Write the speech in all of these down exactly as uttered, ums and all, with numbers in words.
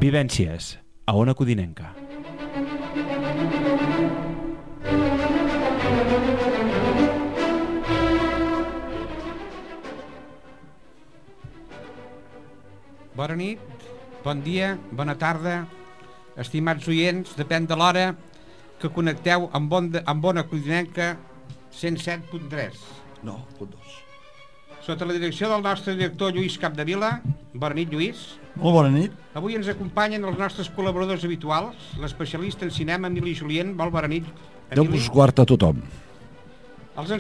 Vivències, a Ona Codinenca. Bona nit, bon dia, bona tarda, estimats oients, depèn de l'hora que connecteu amb, bon de, amb Ona Codinenca cent set punt tres. No, punt dos. Sota la direcció del nostre director Lluís Capdevila. Bona nit, Lluís. Molt bona nit. Avui ens acompanyen els nostres col·laboradors habituals, l'especialista en cinema Emili Julien. Molt bona nit, Emili. Déu vos guard a tothom. Els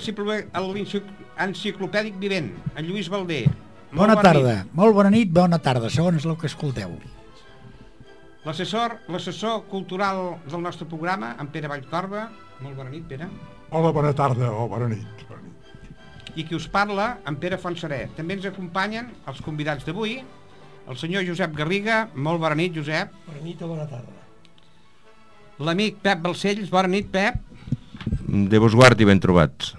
enciclopèdic vivent, en Lluís Balder. Molt bona, bona tarda, nit. Molt bona nit, bona tarda, segons el que escolteu. L'assessor, l'assessor cultural del nostre programa, en Pere Vallcorba. Molt bona nit, Pere. Hola, bona tarda, o bona nit. Bona nit. I qui us parla, en Pere Fontserè. També ens acompanyen els convidats d'avui, el senyor Josep Garriga. Molt bona nit, Josep. Bona nit o bona tarda. L'amic Pep Balcells. Bona nit, Pep. Déu vos guard i ben trobats.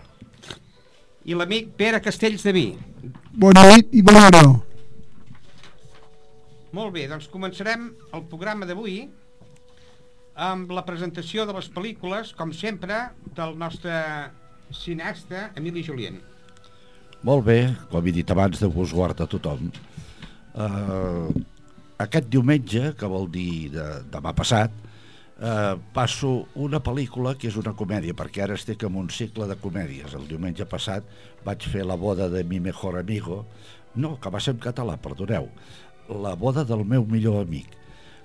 I l'amic Pere Castells de Vi. Bona nit i bona hora. Molt bé, doncs començarem el programa d'avui amb la presentació de les pel·lícules, com sempre, del nostre cineasta Emili Julien. Molt bé, com he dit abans, Déu vos guard a tothom. Uh, aquest diumenge, que vol dir de, demà passat, uh, passo una pel·lícula que és una comèdia, perquè ara estic en un cicle de comèdies. El diumenge passat vaig fer La boda de mi mejor amigo, no, que va ser en català, perdoneu, La boda del meu millor amic,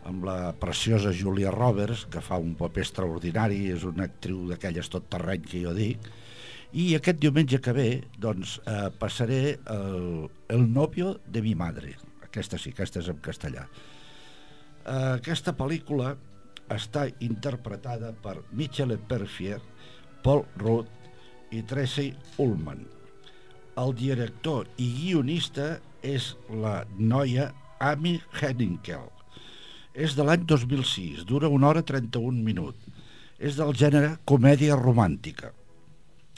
amb la preciosa Julia Roberts, que fa un paper extraordinari, és una actriu d'aquelles tot terreny que jo dic, i aquest diumenge que ve, doncs, eh, passaré el, el novio de mi madre. Aquesta sí, aquesta és en castellà. Eh, aquesta pel·lícula està interpretada per Michelle Pfeiffer, Paul Rudd i Tracy Ullman. El director i guionista és la noia Amy Henninkel. És de l'any dos mil sis, dura una hora trenta-un minuts. És del gènere comèdia romàntica.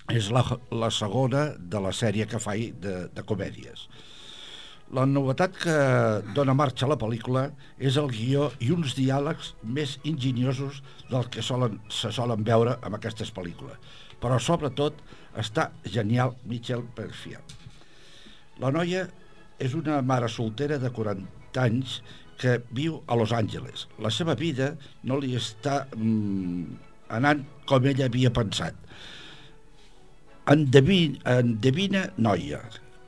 És la, la segona de la sèrie que faig de, de comèdies. La novetat que dona marxa a la pel·lícula és el guió i uns diàlegs més enginyosos del que solen, se solen veure en aquestes pel·lícules. Però sobretot està genial Michelle Pfeiffer. La noia és una mare soltera de quaranta anys que viu a Los Angeles. La seva vida no li està mm, anant com ella havia pensat. Endevina, endevina Noia,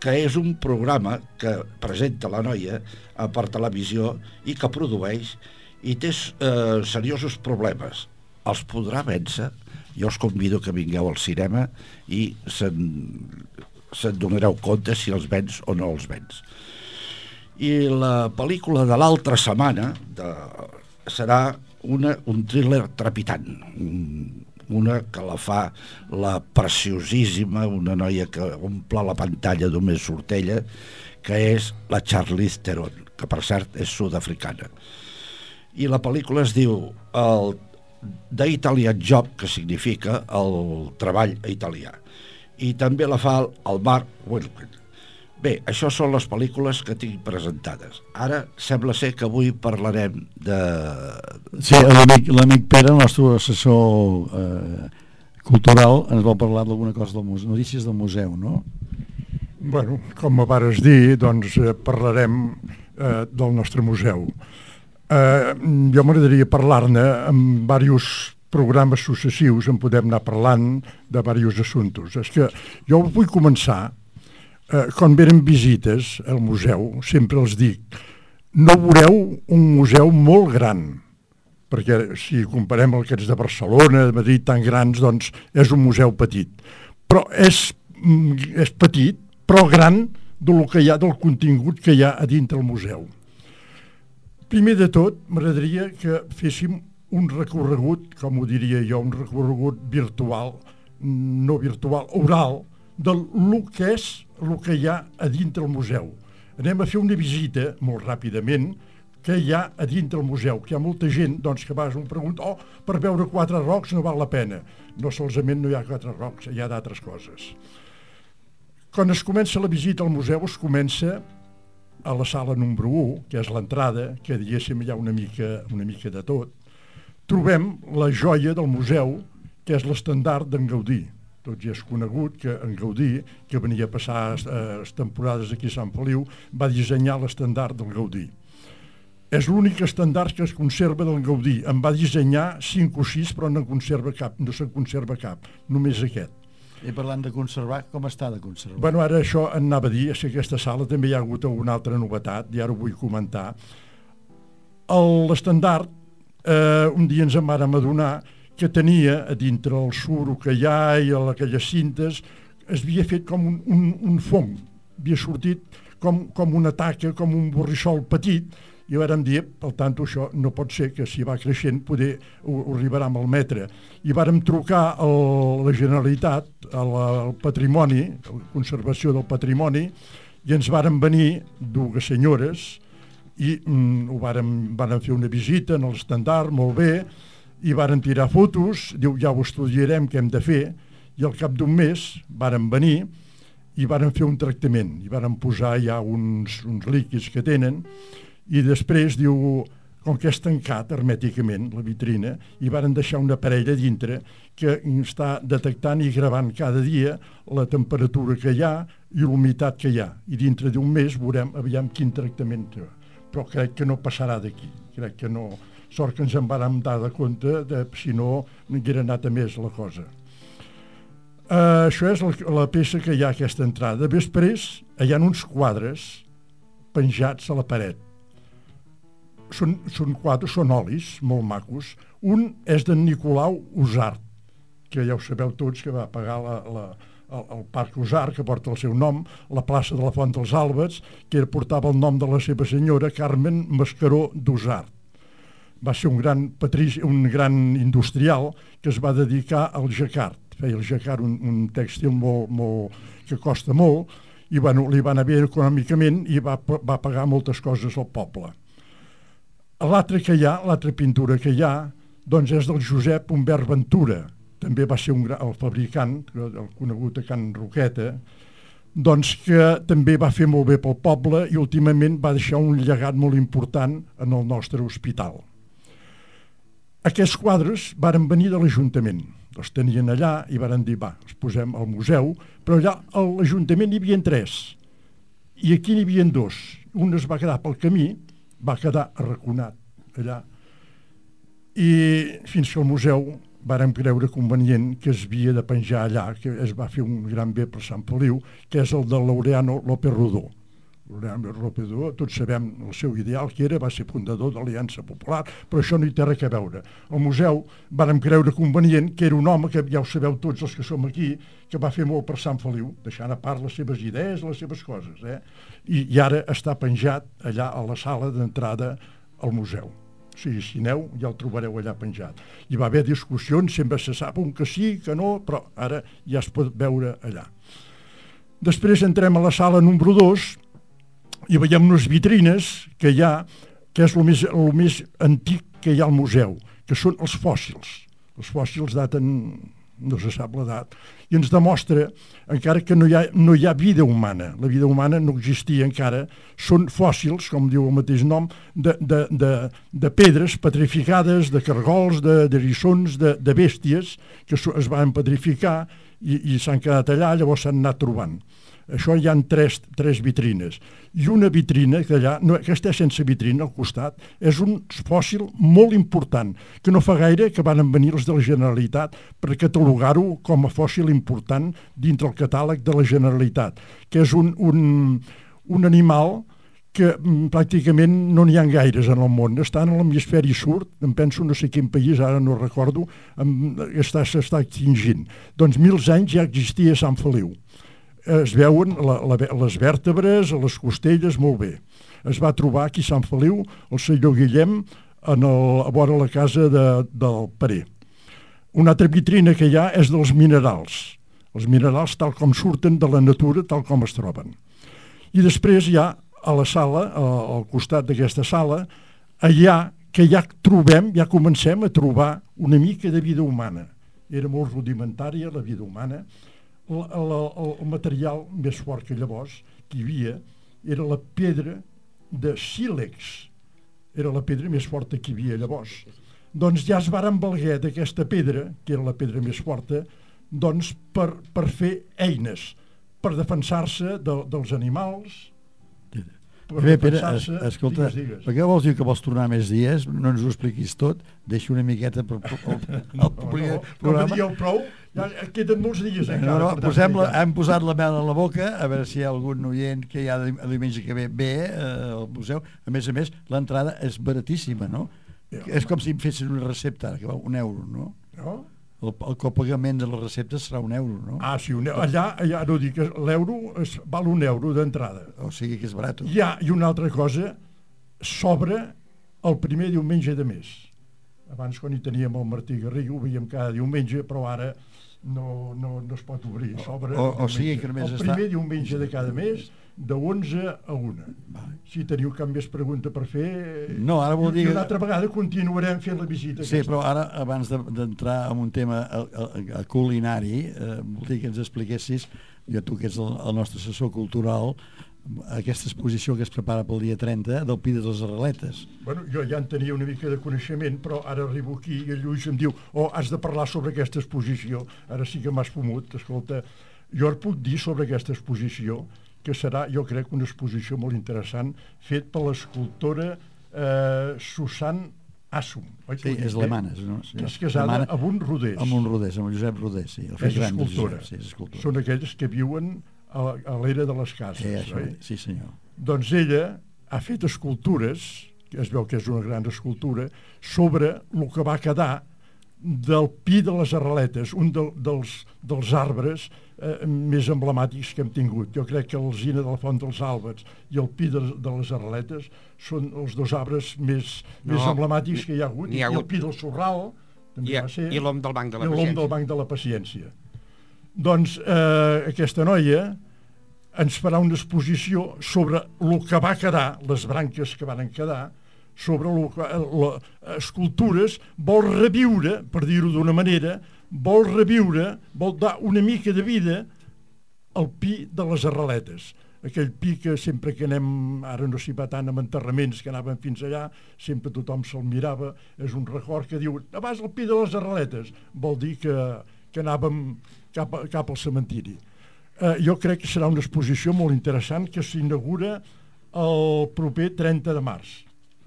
que és un programa que presenta la noia per televisió i que produeix i té eh, seriosos problemes. Els podrà vèncer? Jo us convido que vingueu al cinema i se'n, se'n donareu compte si els vens o no els vens. I la pel·lícula de l'altra setmana de, serà una, un thriller trepitant, un, una que la fa la preciosíssima, una noia que omple la pantalla només surt ella, que és la Charlize Theron, que per cert és sud-africana. I la pel·lícula es diu el The Italian Job, que significa el treball italià. I també la fa el Mark Wahlberg. Bé, això són les pel·lícules que tinc presentades. Ara sembla ser que avui parlarem de... Sí, l'amic, l'amic Pere, el nostre assessor eh, cultural, ens vol parlar d'alguna cosa del museu, notícies del museu, no? Bueno, com vares dir, doncs eh, parlarem eh, del nostre museu. Eh, jo m'agradaria parlar-ne amb diversos programes successius, en podem anar parlant de diversos assumptes. És que jo vull començar... Eh, quan venen visites al museu, sempre els dic, no veureu un museu molt gran, perquè si comparem el que és de Barcelona, de Madrid, tan grans, doncs és un museu petit. Però és, és petit, però gran del que hi ha, del contingut que hi ha a dintre el museu. Primer de tot, m'agradaria que féssim un recorregut, com ho diria jo, un recorregut virtual, no virtual, oral, del que és el que hi ha a dintre el museu. Anem a fer una visita, molt ràpidament, que hi ha a dintre el museu, que hi ha molta gent doncs, que vas a un pregunt, oh, per veure quatre rocs no val la pena. No solament no hi ha quatre rocs, hi ha d'altres coses. Quan es comença la visita al museu es comença a la sala número u, que és l'entrada, que diguéssim hi ha una mica, una mica de tot, trobem la joia del museu, que és l'estendard d'en Gaudí. Tots ja és conegut que en Gaudí, que venia a passar eh, temporades aquí a Sant Feliu, va dissenyar l'estendard del Gaudí. És l'únic estendard que es conserva del Gaudí. En va dissenyar cinc o sis, però no en conserva cap, no se'n conserva cap, només aquest. I parlant de conservar, com està de conservar? Bueno, ara això anava a dir, és que aquesta sala també hi ha hagut alguna altra novetat, i ara ho vull comentar. L'estendard, eh, un dia ens en vàrem adonar que tenia a dintre el suro que hi ha i a aquelles cintes, es havia fet com un, un, un fong, havia sortit com, com una taca, com un borrissol petit, i vàrem dir, per tant, això no pot ser, que si va creixent poder ho, ho arribarà amb el metre. I vàrem trucar a la Generalitat, a la, al patrimoni, a la conservació del patrimoni, i ens vàrem venir dues senyores i mm, ho vàrem, vàrem fer una visita en l'estendard, molt bé, i varen tirar fotos, diu, ja ho estudiarem què hem de fer, i al cap d'un mes varen venir i varen fer un tractament, i varen posar ja uns, uns líquids que tenen, i després, diu, com que és tancat hermèticament, la vitrina, i varen deixar una parella dintre que està detectant i gravant cada dia la temperatura que hi ha i l'humitat que hi ha, i dintre d'un mes veurem aviam quin tractament té. Però crec que no passarà d'aquí, crec que no... Sort que ens en vàrem dar de compte, de, si no, no haguera anat a més la cosa. Uh, això és la, la peça que hi ha a aquesta entrada. Després hi ha uns quadres penjats a la paret. Són, són quadres, són olis, molt macos. Un és d'en Nicolau Usart, que ja ho sabeu tots, que va pagar la, la, el, el Parc Usart, que porta el seu nom, la plaça de la Font dels Àlbats, que portava el nom de la seva senyora, Carmen Mascaró d'Usart. Va ser un gran patrici, un gran industrial que es va dedicar al jacquard. Feia el jacquard un, un tèxtil molt, molt, que costa molt, i bueno, li va anar bé econòmicament i va, va pagar moltes coses al poble. L'altra que hi ha, l'altra pintura que hi ha, doncs és del Josep Humbert Ventura. També va ser un, el fabricant, el conegut a Can Roqueta, doncs que també va fer molt bé pel poble i últimament va deixar un llegat molt important en el nostre hospital. Aquests quadres varen venir de l'Ajuntament, els tenien allà i varen dir, va, els posem al museu, però allà a l'Ajuntament hi havia tres, i aquí n'hi havia dos. Un es va quedar pel camí, va quedar arraconat allà, i fins que el museu vàrem creure convenient que es havia de penjar allà, que es va fer un gran bé per Sant Feliu, que és el de Laureano López Rodó. Laureano López Rodó, tots sabem el seu ideal que era, va ser fundador de l'Aliança Popular, però això no hi té res a veure. Al museu vàrem creure convenient que era un home, que ja ho sabeu tots els que som aquí, que va fer molt per Sant Feliu, deixant a part les seves idees, les seves coses, eh? I, i ara està penjat allà a la sala d'entrada al museu. O sigui, si aneu, ja el trobareu allà penjat. Hi va haver discussions, sempre se sap un que sí, que no, però ara ja es pot veure allà. Després entrem a la sala número dos, i veiem unes vitrines que hi ha, que és el més, el més antic que hi ha al museu, que són els fòssils. Els fòssils daten, no se sap l'edat, i ens demostra, encara que no hi ha, no hi ha vida humana, la vida humana no existia encara, són fòssils, com diu el mateix nom, de, de, de, de pedres petrificades, de cargols, de, de rissons, de, de bèsties, que es van petrificar i, i s'han quedat allà, llavors s'han anat trobant. Això hi ha tres, tres vitrines. I una vitrina, que allà, no, aquesta és sense vitrina al costat, és un fòssil molt important, que no fa gaire que van venir els de la Generalitat per catalogar-ho com a fòssil important dintre el catàleg de la Generalitat, que és un, un, un animal que mm, pràcticament no n'hi ha gaires en el món. Està en l'hemisferi sud, em penso no sé quin país, ara no recordo, està, s'està extingint. Doncs mil anys ja existia a Sant Feliu. Es veuen la, la, les vèrtebres, les costelles, molt bé. Es va trobar aquí a Sant Feliu el senyor Guillem en el, a vora la casa de, del Parer. Una altra vitrina que hi ha és dels minerals. Els minerals tal com surten de la natura, tal com es troben. I després hi ha a la sala, al costat d'aquesta sala, allà que ja trobem, ja comencem a trobar una mica de vida humana. Era molt rudimentària la vida humana. El, el, el material més fort que llavors que hi havia era la pedra de sílex, era la pedra més forta que hi havia llavors. Doncs ja es varen valer d'aquesta pedra, que era la pedra més forta, doncs per, per fer eines, per defensar-se de, dels animals, per Bé, Pere, es, defensar-se... escolta, Digues, digues. per què vols dir que vols tornar més dies? No ens ho expliquis tot, deixa una miqueta per, per, per, el, el, No, no, no me dieu prou, ja queden molts dies encara. No, no, per tant, posem la, ja. hem posat la mel a la boca, a veure si hi ha algun oient que hi ha el diumenge que ve ve eh, al museu. A més a més, l'entrada és baratíssima, no? Ja, És com si em fessin una recepta, que val un euro, no? No? El, el copagament de les receptes serà un euro, no? Ah, sí, un euro. Allà, allà no dic, l'euro es, val un euro d'entrada. O sigui que és barat. Hi ha, i una altra cosa, s'obre el primer diumenge de mes. Abans, quan hi teníem el Martí Garriga, ho veiem cada diumenge, però ara no, no, no es pot obrir. S'obre O- o sigui que només el està- primer diumenge de cada mes, de onze a una. Si teniu cap més pregunta per fer... No, ara vol dir I que- una altra vegada continuarem fent la visita. Sí, aquesta. però ara, abans de- d'entrar en un tema a, a, a culinari, eh, voldria que ens expliquessis, jo tu que ets el, el nostre assessor cultural, aquesta exposició que es prepara pel dia trenta del Pi de les Arreletes. Bueno, jo ja en tenia una mica de coneixement, però ara arribo aquí i el Lluís em diu oh, has de parlar sobre aquesta exposició. Ara sí que m'has fumut. Escolta, jo et puc dir sobre aquesta exposició que serà, jo crec, una exposició molt interessant, fet per l'escultora eh, Susan Assum. Oi? Sí, és alemana. No? Sí, Que és casada alemana, amb un rodés. amb un rodés, amb el Josep Rodés, sí. El fill És gran del escultora. Josep, sí, és escultora. Són aquells que viuen a, a l'era de les cases. Sí, això, oi? sí, senyor. Doncs ella ha fet escultures, que es veu que és una gran escultura, sobre el que va quedar del Pi de les Arreletes, un de, dels, dels arbres eh, més emblemàtics que hem tingut. Jo crec que l'alzina de la Font dels Àlbats i el Pi de, de les Arreletes són els dos arbres més, No, més emblemàtics que hi ha hagut. n'hi ha I el hagut. Pi del Sorral també I, va ser... i l'om del Banc de la I l'om del Paciència. Banc de la Paciència. Doncs eh, aquesta noia ens farà una exposició sobre el que va quedar, les branques que van quedar, sobre lo que, les escultures, vol reviure, per dir-ho d'una manera, vol reviure, vol dar una mica de vida al Pi de les Arreletes. Aquell pi que sempre que anem, ara no s'hi va tant amb enterraments, que anàvem fins allà, sempre tothom se'l mirava, és un record que diu, abans el Pi de les Arreletes, vol dir que, que anàvem cap, a, cap al cementiri. Eh, jo crec que serà una exposició molt interessant que s'inaugura el proper trenta de març,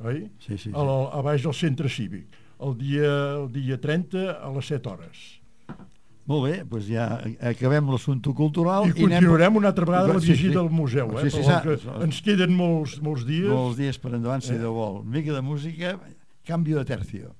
oi? Sí, sí, sí. Al, a baix del centre cívic, el dia, el dia trenta a les set hores. Molt bé, doncs ja acabem l'assumpte cultural. I continuarem una altra vegada la Sí, sí. visita al museu, eh? Sí, sí, Però sí, que ens queden molts, molts dies. Molts dies per endavant, si Eh. Déu vol. Una mica de música, canvi de tercio.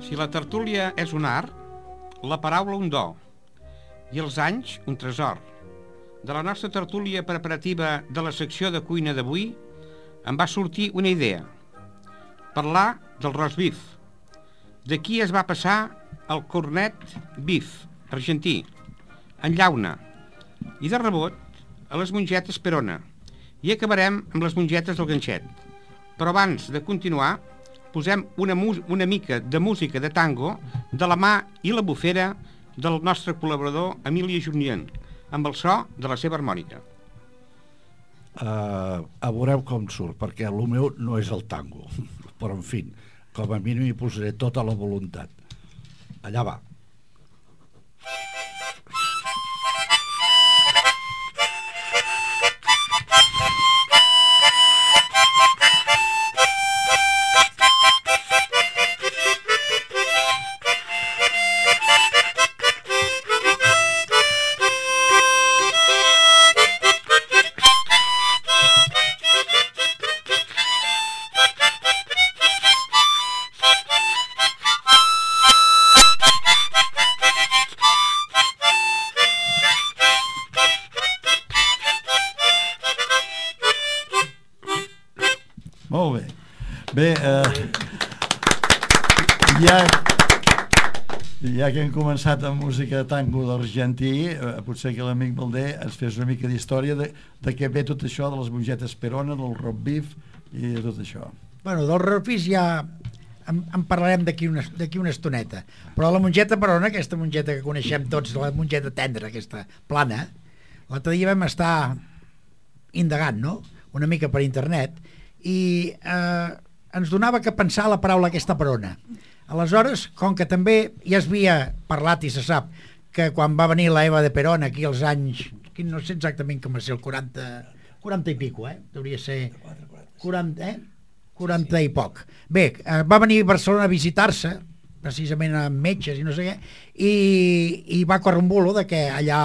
Si la tertúlia és un art, la paraula un do i els anys un tresor. De la nostra tertúlia preparativa de la secció de cuina d'avui em va sortir una idea. Parlar del roast beef. D'aquí es va passar al cornet beef, argentí, en llauna, i de rebot a les mongetes perona. I acabarem amb les mongetes del ganxet. Però abans de continuar, posem una, una mica de música de tango de la mà i la bufera del nostre col·laborador Emília Junyent, amb el so de la seva harmònica. Uh, a veureu com surt, perquè el meu no és el tango, però en fi, com a mínim hi posaré tota la voluntat. Allà va. Molt bé. Bé, eh, ja, Ja que hem començat amb música tango d'argentí, eh, potser que l'amic Balder ens fes una mica d'història de, de què ve tot això de les mongetes Perona, del roast beef i de tot això. Bueno, del roast beef ja en, en parlarem d'aquí una, d'aquí una estoneta, però la mongeta Perona, aquesta mongeta que coneixem tots, la mongeta tendra, aquesta plana, l'altre dia vam estar indagant, no?, una mica per internet, i eh, ens donava que pensar la paraula aquesta Perona. Aleshores, com que també ja es havia parlat i se sap que quan va venir la Eva de Perón aquí als anys, no sé exactament com va ser, el quaranta, quaranta i pico, eh? Hauria ser quaranta, eh? quaranta i poc. Bé, eh, va venir a Barcelona a visitar-se, precisament amb metges i no sé què, i, i va córrer un bulo de que allà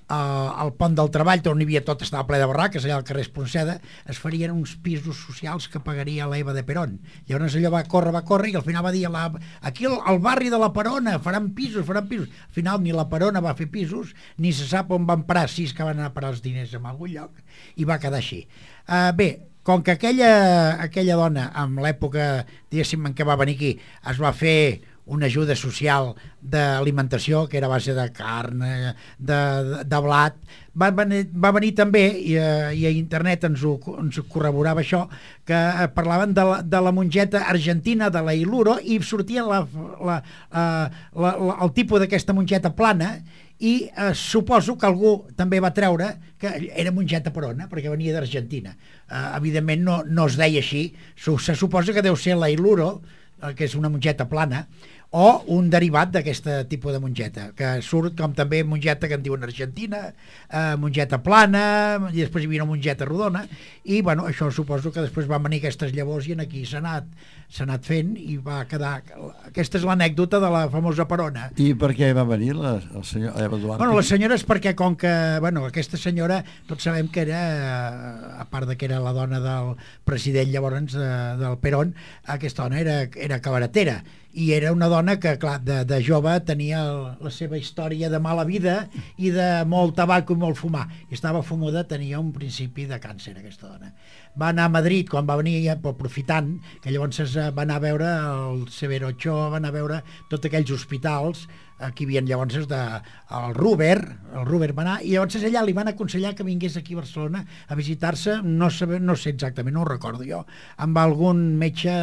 Uh, al pont del treball, on hi havia tot, estava ple de barraques, allà al carrer Espronceda, es farien uns pisos socials que pagaria l'Eva de Perón. Llavors allò va córrer, va córrer, i al final va dir la, aquí al, al barri de la Perona faran pisos, faran pisos. Al final ni la Perona va fer pisos, ni se sap on van parar, si és que van anar a parar els diners en algun lloc, i va quedar així. Uh, bé, com que aquella, aquella dona, en l'època, diguéssim, en què va venir aquí, es va fer una ajuda social d'alimentació, que era a base de carn, de, de, de blat, va venir, va venir també, i, i a internet ens ho, ens ho corroborava això, que parlaven de la, de la mongeta argentina, de la Iluro, i sortia la, la, la, la, la, el tipus d'aquesta mongeta plana, i eh, suposo que algú també va treure que era mongeta Perona, perquè venia d'Argentina. Eh, evidentment no, no es deia així, se suposa que deu ser la Iluro, que és una mongeta plana, o un derivat d'aquest tipus de mongeta, que surt com també mongeta que en diuen argentina, eh, mongeta plana, i després hi havia una mongeta rodona, i bueno, això suposo que després van venir aquestes llavors i en aquí s'ha anat, s'ha anat fent i va quedar... Aquesta és l'anècdota de la famosa Perona. I per què va venir la, el senyor Eva Duarte? Bueno, la senyora és perquè com que, bueno, aquesta senyora, tots sabem que era, a part de que era la dona del president llavors de, del Perón, aquesta dona era, era cabaretera, i era una dona que, clar, de, de jove tenia el, la seva història de mala vida i de molt tabac i molt fumar. I estava fumuda, tenia un principi de càncer, aquesta dona. Va anar a Madrid, quan va venir, aprofitant, que llavors va anar a veure el Severo Ochoa, va anar a veure tots aquells hospitals, aquí hi havia llavors de, el Ruber, el Ruber va anar, i llavors allà li van aconsellar que vingués aquí a Barcelona a visitar-se, no, saber, no sé exactament, no ho recordo jo, amb algun metge...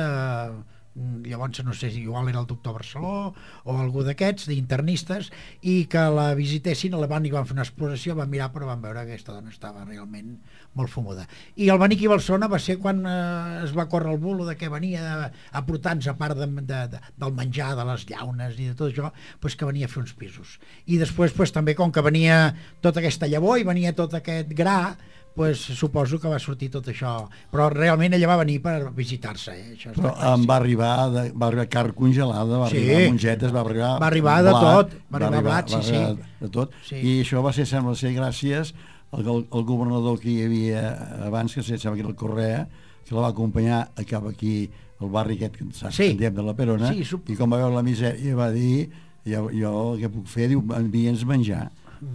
llavors no sé si igual era el doctor Barceló o algú d'aquests, d'internistes, i que la visitessin, la van i van fer una exploració, van mirar però van veure que aquesta dona estava realment molt fumuda. I el venir aquí a Barcelona va ser quan eh, es va córrer el bulo de que venia a portar-nos, a part de, de, de, del menjar, de les llaunes i de tot això, pues que venia a fer uns pisos. I després pues, també com que venia tota aquesta llavor i venia tot aquest gra, pues, suposo que va sortir tot això, però realment ella va venir per visitar-se, eh? Això però em va arribar, de, va arribar carn congelada, va sí. arribar mongetes, va arribar va arribar de blat, tot, va arribar, arribar blat, sí, va arribar sí. de tot, sí. I això va ser, sembla ser, gràcies al, al, al governador que hi havia abans, que sembla que era el Correa, que la va acompanyar a cap aquí, al barri aquest que saps, sí. que de la Perona, sí, sup... i com va veure la misèria va dir, jo, jo què puc fer? Diu, envia'ns menjar,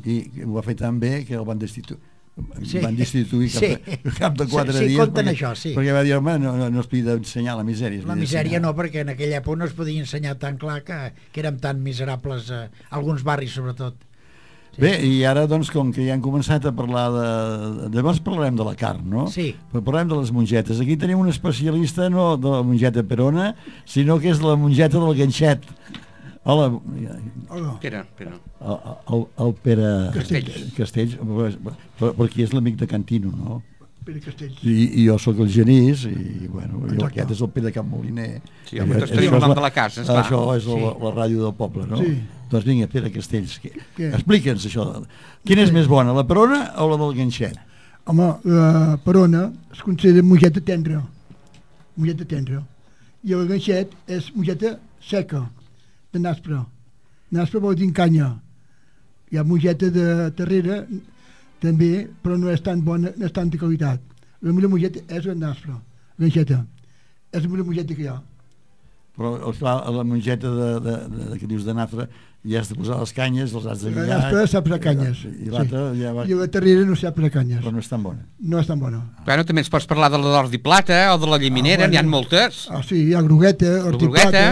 i ho va fer tan bé que el van destituir. Sí. Van destituir cap, sí. cap de quatre sí, sí, dies perquè, això, sí. perquè va dir, home, no, no, no es podia ensenyar la misèria. La misèria no, perquè en aquella època no es podia ensenyar tan clar que, que érem tan miserables, eh, alguns barris sobretot. Sí. Bé, i ara doncs com que ja hem començat a parlar de... Llavors parlarem de la carn, no? Sí. Però parlem de les mongetes. Aquí tenim un especialista no de la mongeta Perona, sinó que és la mongeta del ganxet. Hola. Hola. Pere, Pere. El, el, el Pere Castells. Castells, per, per aquí és l'amic de Cantino, no? Pere Castells. I, i jo sóc el Genís, i bueno, i aquest és el Pere Camp Moliner. Sí, home, tots tenim el nom de la casa, esclar. Això és sí. la, la ràdio del poble, no? Sí. Doncs vinga, Pere Castells, que, explica'ns això. Quina és més bona, la Perona o la del ganxet? Home, la Perona es considera mongeta tendra, mongeta tendra, i el ganxet és mongeta seca, de naspre. Naspre vol dir canya. Hi ha mongeta de terrera també, però no és tan bona, no és tanta qualitat. La millor mongeta és la naspre, ganxeta. És la millor mongeta que hi ha. Però, esclar, la mongeta de, de, de, de, que dius de nafra, ja has de posar les canyes, els has de lligar... La naspre sap posar canyes. I l'altra sí. ja va... I la terrera no sap posar canyes. Però no és tan bona. No és tan bona. Bueno, també ens pots parlar de la d'ordi plata o de la lliminera, ah, bueno. N'hi ha moltes. Ah, sí, hi ha grogueta, ordi plata...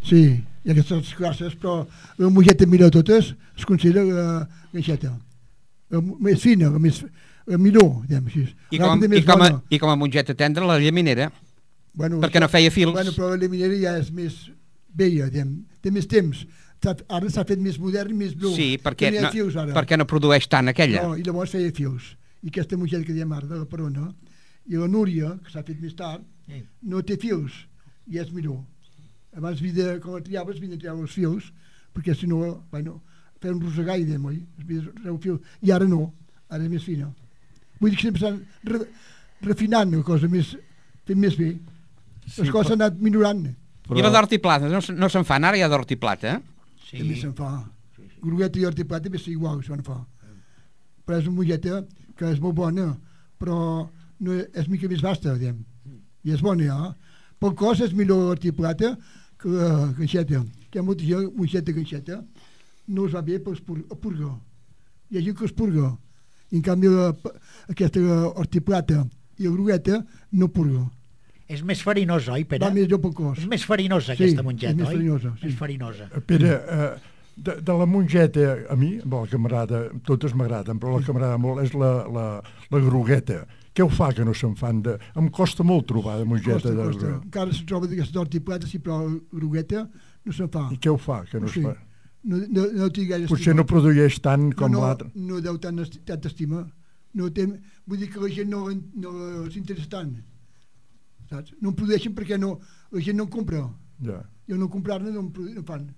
Sí. Hi ha aquestes classes, però la mongeta millor de totes es considera la ganxeta. La més fina, la més la millor, diguem així. I com, i, com a, I com a mongeta tendra, la llaminera, bueno, perquè no feia fils. Bueno, però la llaminera ja és més vella, diguem, té més temps. Ara s'ha fet més modern i més blu. Sí, perquè no, no, fius, perquè no produeix tant aquella. No, i llavors feia fius. I aquesta mongeta que diem ara, de la Perona, i la Núria, que s'ha fet més tard, sí. no té fils, i és millor. Abans, vida, quan la triaves, havia de triar els fils, perquè si no, bueno, feia un rosegar i dèiem, oi? I ara no, ara és més fina. Vull dir que sempre estan re, refinant la cosa, més, fent més bé. Sí, les coses s'han anat millorant. Però... I la d'hort i plata, no, no se'n fan, ara hi ha d'hort i plata, eh? Sí. També se'n fa. Sí, sí. Grogueta i hort i plata també és igual, se'n fa. Però és una molleta que és molt bona, però no és mica més vasta, diguem. I és bona, ja. Pel cos és millor hort i plata que la ganxeta. Hi ha molta gent, molleta ganxeta, no es va bé per purgar. Hi ha gent que es purga. I en canvi la, aquesta hort i plata i la grogueta no purga. És més farinosa, oi, Pere? Va més pel cos. És més farinosa, sí, aquesta mongeta, és més oi? Farinosa, sí. Més farinosa. Pere, eh, de, de la mongeta, a mi, bo, que m'agrada, totes m'agraden, però la que m'agrada molt és la, la, la grogueta. Què ho fa que no se'n fan? De... Em costa molt trobar de mongeta. Costa, de... costa. Encara se troba d'aquesta hort i plata, sí, però la grogueta no se'n fa. I què ho fa que no sí. es fa? No, no, no tinc gaire Potser estima. no produeix tant com no, no, l'altre. No deu tant, tant estima. No té, vull dir que la gent no, no s'interessa tant. Saps? No en produeixen perquè no, la gent no en compra. Ja. I al no comprar-ne no en, no en fan.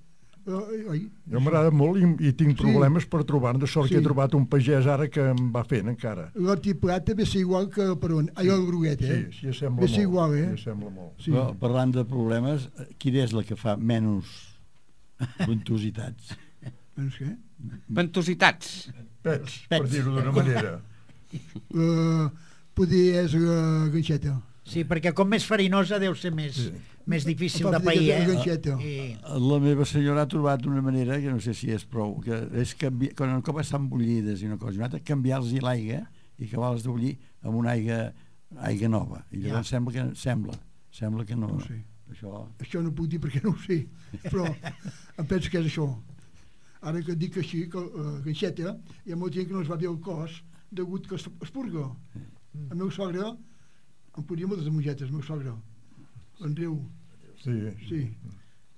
Uh, oi? Jo m'agrada molt i, i tinc problemes sí. per trobar-ne. De sort sí. que he trobat un pagès ara que em va fent encara. L'hort i plata ve ser igual que per on. Ai, el groguet, eh? Sí, sí, sembla ve ser molt. igual, eh? Sí, sembla molt. Sí. Però, parlant de problemes, quina és la que fa menys ventositats? Menys què? Ventositats. Pets, per dir-ho d'una manera. Uh, poder és la ganxeta. Sí, perquè com més farinosa deu ser més, sí. més difícil de pair, eh? I... La meva senyora ha trobat una manera, que no sé si és prou, que és canvi... quan un cop estan bullides i una cosa i una altra, canviar-los l'aigua i acabar-les de bullir amb una aigua, aigua nova. I llavors ja. sembla que sembla, sembla que no... no sé. Això... això no puc dir perquè no ho sé, però em penso que és això. Ara que dic així, que uh, ganxeta, hi ha molta gent que no es va bé el cos degut que es, es purga. Mm. El meu sogre em ponia moltes mongetes, el meu sogre. En riu. Sí. Sí.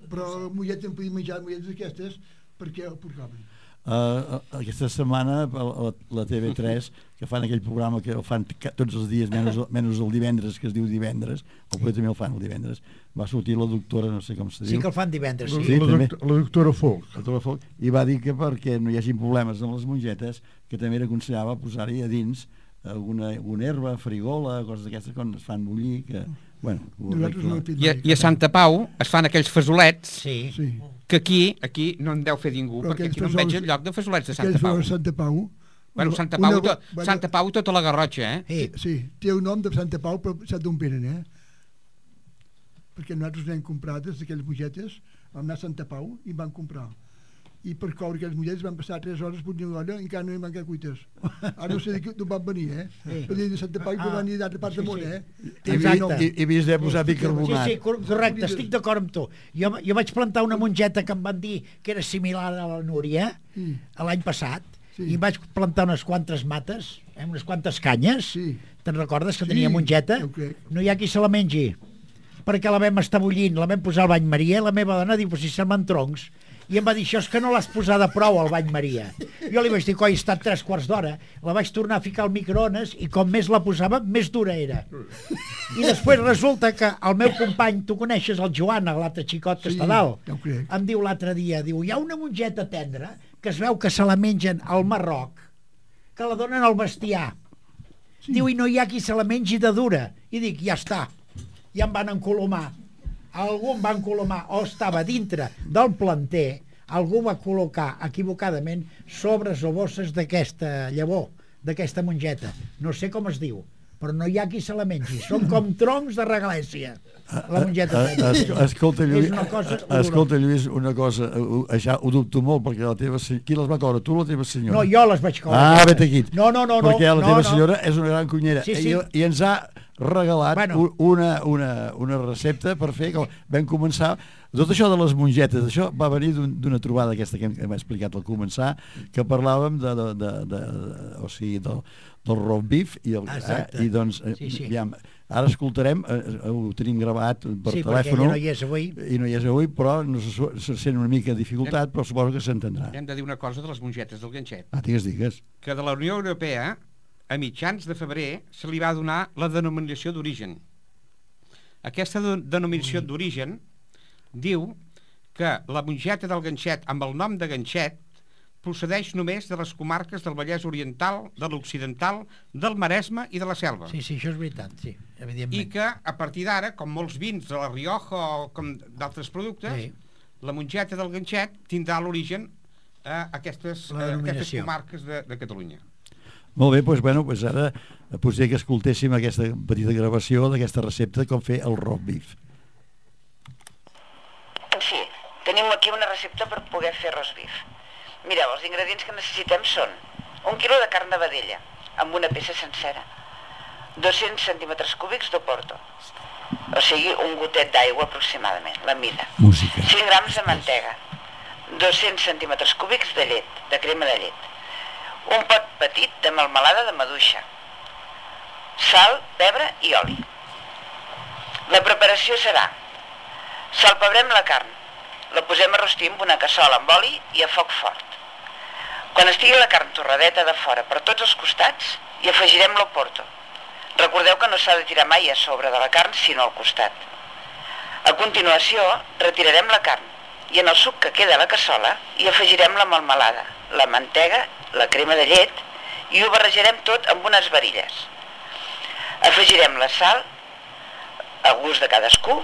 Però molleta em podia menjar molletes aquestes perquè el purgaven. Uh, aquesta setmana la, la T V tres que fan aquell programa que el fan tots els dies menys, menys el divendres, que es diu divendres, o potser també el fan el divendres, va sortir la doctora, no sé com se diu. Sí que el fan divendres, sí. sí la, també, doctor, la doctora Folk. la doctora Folk. I va dir que perquè no hi hagi problemes amb les mongetes, que també era aconsellava posar-hi a dins alguna, alguna herba, frigola, coses d'aquestes quan es fan bullir, que... Bueno, no I, a, I a Santa Pau es fan aquells fasolets sí. Sí. que aquí aquí no en deu fer ningú, però perquè aquí no en veig el lloc de fasolets de Santa Pau. Santa Pau. Bueno, Santa Pau, una, to, bueno, Santa Pau tota la Garrotxa, eh? Sí, sí, té un nom de Santa Pau, però sap d'on venen, eh? Perquè nosaltres n'hem comprat d'aquelles mongetes, vam anar a Santa Pau i vam comprar. I per coure aquelles mulleres van passar tres hores per una olla i encara no hi van quedar cuites. Ara no sé d'on van venir, eh? Sí. Per dir de Santa Pau i ah, van venir d'altra part sí, del món, sí. eh? I, i, i vist de posar bicarbonat. Sí, sí, correcte, estic d'acord amb tu. Jo, jo vaig plantar una mongeta que em van dir que era similar a la Núria sí. l'any passat, sí. i vaig plantar unes quantes mates, eh, unes quantes canyes. Sí. Te'n recordes que sí, tenia mongeta? No hi ha qui se la mengi, perquè la vam estar bullint, la vam posar al bany Maria, la meva dona diu, si semblen troncs, i em va dir, això és que no l'has posada prou al bany Maria. Jo li vaig dir, coi, he estat tres quarts d'hora, la vaig tornar a ficar al microones i com més la posava, més dura era. I després resulta que el meu company, tu coneixes el Joan, l'altre xicot que sí, està dalt, ja em diu l'altre dia, diu, hi ha una mongeta tendra que es veu que se la mengen al Marroc, que la donen al bestiar. Sí. Diu, i no hi ha qui se la mengi de dura. I dic, ja està, ja em van encolomar. Algú em va encolomar, o estava dintre del planter, algú va col·locar equivocadament sobres o bosses d'aquesta llavor, d'aquesta mongeta. No sé com es diu, però no hi ha qui se la mengi. Són com troncs de regalèssia. La mongeta tendra. Es, escolta, Lluís, És una cosa escolta, Lluís, una cosa, ho- això ho dubto molt, perquè la teva... se- Qui les va cobrar, tu o la teva senyora? No, jo les vaig cobrar. Ah, vet aquí. No, no, no. Perquè la no, teva no. senyora és una gran cunyera. Sí, sí. I, I ens ha regalat Bueno. u- una, una, una recepta per fer, com vam començar, tot això de les mongetes, això va venir d'un- d'una trobada aquesta que hem, hem explicat al començar, que parlàvem de, de, de, de, de o sigui, del, del roast beef i, el, Exacte. eh, i doncs, eh, Sí, sí. aviam, ara escoltarem, eh, ho tenim gravat per Sí, perquè telèfon ella no hi és avui. i no hi és avui, però no se, su- se sent una mica de dificultat, però suposo que s'entendrà. Hem de dir una cosa de les mongetes del ganxet, Ah, digues, digues. que de la Unió Europea, a mitjans de febrer, se li va donar la denominació d'origen. Aquesta de- denominació d'origen diu que la mongeta del ganxet amb el nom de ganxet procedeix només de les comarques del Vallès Oriental, de l'Occidental, del Maresme i de la Selva. Sí, sí, això és veritat, sí, evidentment. I que a partir d'ara, com molts vins de la Rioja o com d'altres productes, Sí. la mongeta del ganxet tindrà l'origen a aquestes, La a aquestes denominació. comarques de, de Catalunya. Molt bé, doncs, bueno, doncs ara potser que escoltéssim aquesta petita gravació d'aquesta recepta com fer el roast beef. En fi, tenim aquí una recepta per poder fer roast beef. Mireu, els ingredients que necessitem són un quilo de carn de vedella, amb una peça sencera, dos-cents centímetres cúbics d'oporto, o sigui, un gotet d'aigua aproximadament, la mida. Música. cinc grams de mantega, dos-cents centímetres cúbics de llet, de crema de llet, un pot petit de melmelada de maduixa, sal, pebre i oli. La preparació serà: salpebrem la carn, la posem a rostir amb una cassola amb oli i a foc fort. Quan estigui la carn torradeta de fora per tots els costats, hi afegirem l'oporto. Recordeu que no s'ha de tirar mai a sobre de la carn, sinó al costat. A continuació, retirarem la carn i en el suc que queda a la cassola hi afegirem la melmelada, la mantega, la crema de llet i ho barrejarem tot amb unes varilles. Afegirem la sal, a gust de cadascú,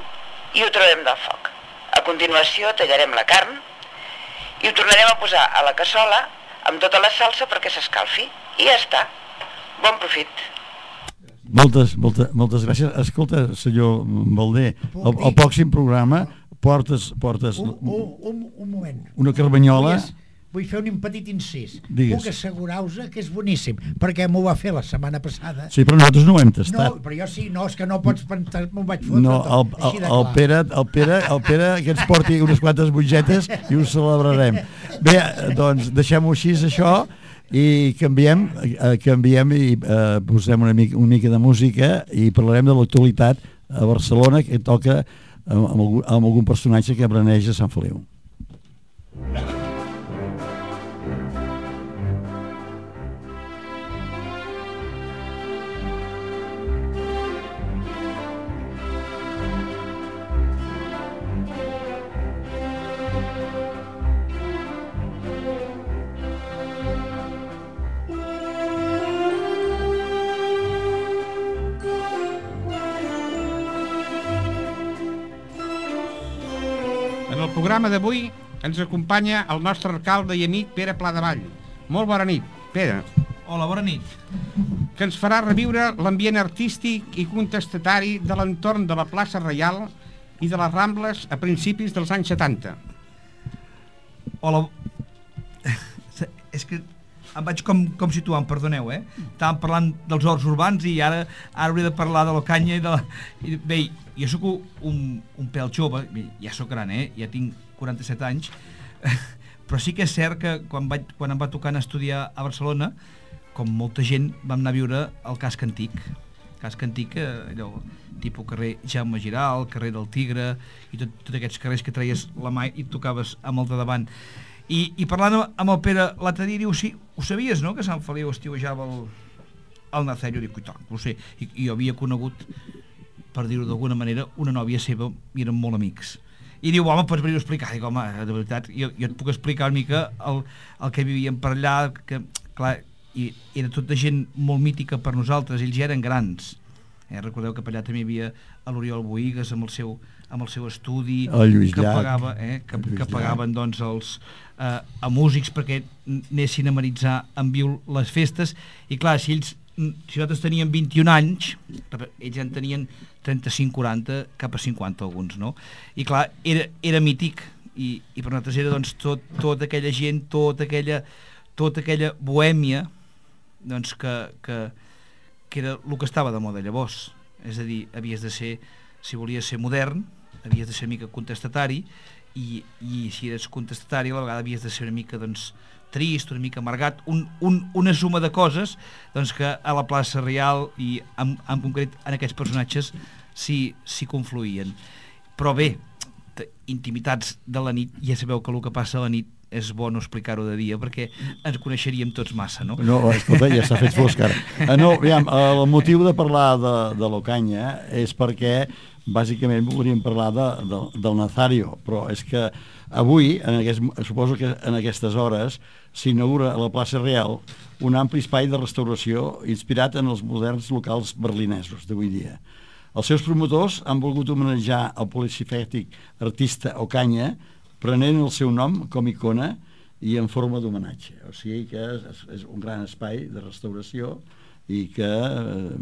i ho traurem del foc. A continuació tallarem la carn i ho tornarem a posar a la cassola amb tota la salsa perquè s'escalfi. I ja està. Bon profit. Moltes, moltes, moltes gràcies. Escolta, senyor Balder, el, el pròxim programa portes, portes Un, un, un, un moment. una carmanyola. Vull, vull fer un petit incís. Digues. Puc assegurar-vos que és boníssim, perquè m'ho va fer la setmana passada. Sí, però nosaltres no ho hem No, tastat. però jo sí, no, és que no pots pensar, m'ho vaig fotre No, el, tot, així el, de el, clar. Pere, el, Pere, el Pere que ens porti unes quantes mongetes i ho celebrarem. Bé, doncs deixem-ho així, això, i canviem, eh, canviem i eh, posem una mica, una mica de música i parlarem de l'actualitat a Barcelona, que toca amb, amb, algun, amb algun personatge que beneeix a Sant Feliu. En el programa d'avui ens acompanya el nostre alcalde i amic Pere Pladevall. Molt bona nit, Pere. Hola, bona nit. Que ens farà reviure l'ambient artístic i contestatari de l'entorn de la plaça Reial i de les Rambles a principis dels anys setanta. Hola. És que em vaig com, com situant, perdoneu, eh? Estàvem parlant dels horts urbans i ara, ara hauria de parlar de la canya i de la... I, bé, jo sóc un, un pèl jove, ja sóc gran, eh? Ja tinc quaranta-set anys, però sí que és cert que quan, vaig, quan em va tocar anar a estudiar a Barcelona, com molta gent, vam anar a viure al Casc Antic. Casc Antic, allò, tipus carrer Jaume Giral, carrer del Tigre, i tot, tots aquests carrers que treies la mà i tocaves amb el de davant. I, i parlant amb el Pere l'altre dia, diu, sí, ho sabies, no?, que Sant Feliu estiuejava el, el Nazario? Dic, i tant, ho sé. I, i jo havia conegut, per dir-ho d'alguna manera, una nòvia seva, i eren molt amics. I diu, home, pots venir a explicar? Dic, home, de veritat, jo, jo et puc explicar una mica el, el que vivíem per allà, que, clar, i era tota gent molt mítica per nosaltres, ells ja eren grans. Eh, recordeu que per allà també hi havia l'Oriol Boïgues amb el seu, amb el seu estudi, el Lluís que, Llach, pagava, eh, que, el que pagaven doncs, els, eh, a músics perquè anessin a amenitzar en viu les festes, i clar, si ells si nosaltres teníem vint-i-un anys, ells ja en tenien trenta-cinc quaranta, cap a cinquanta alguns, no? I clar, era, era mític, i, i per nosaltres era doncs, tot, tota aquella gent, tota aquella, tota aquella bohèmia, doncs que, que, que era el que estava de moda llavors. És a dir, havies de ser, si volies ser modern, havies de ser una mica contestatari, i, i si eres contestatari a la vegada havies de ser una mica doncs, trist, una mica amargat, un, un, una suma de coses doncs, que a la plaça Real i en, en concret en aquests personatges s'hi sí, confluïen. Però bé, intimitats de la nit, ja sabeu que el que passa a la nit és bo no explicar-ho de dia perquè ens coneixeríem tots massa, no? No, escolta, ja s'ha fet fosc ara. Uh, no, aviam, el motiu de parlar de, de l'Ocaña és perquè bàsicament volíem parlar de, de, del Nazario, però és que avui, en aquest, suposo que en aquestes hores, s'inaugura a la plaça Real un ampli espai de restauració inspirat en els moderns locals berlinesos d'avui dia. Els seus promotors han volgut homenatjar el policifètic artista Ocaña prenent el seu nom com icona i en forma d'homenatge. O sigui que és, és un gran espai de restauració i que eh,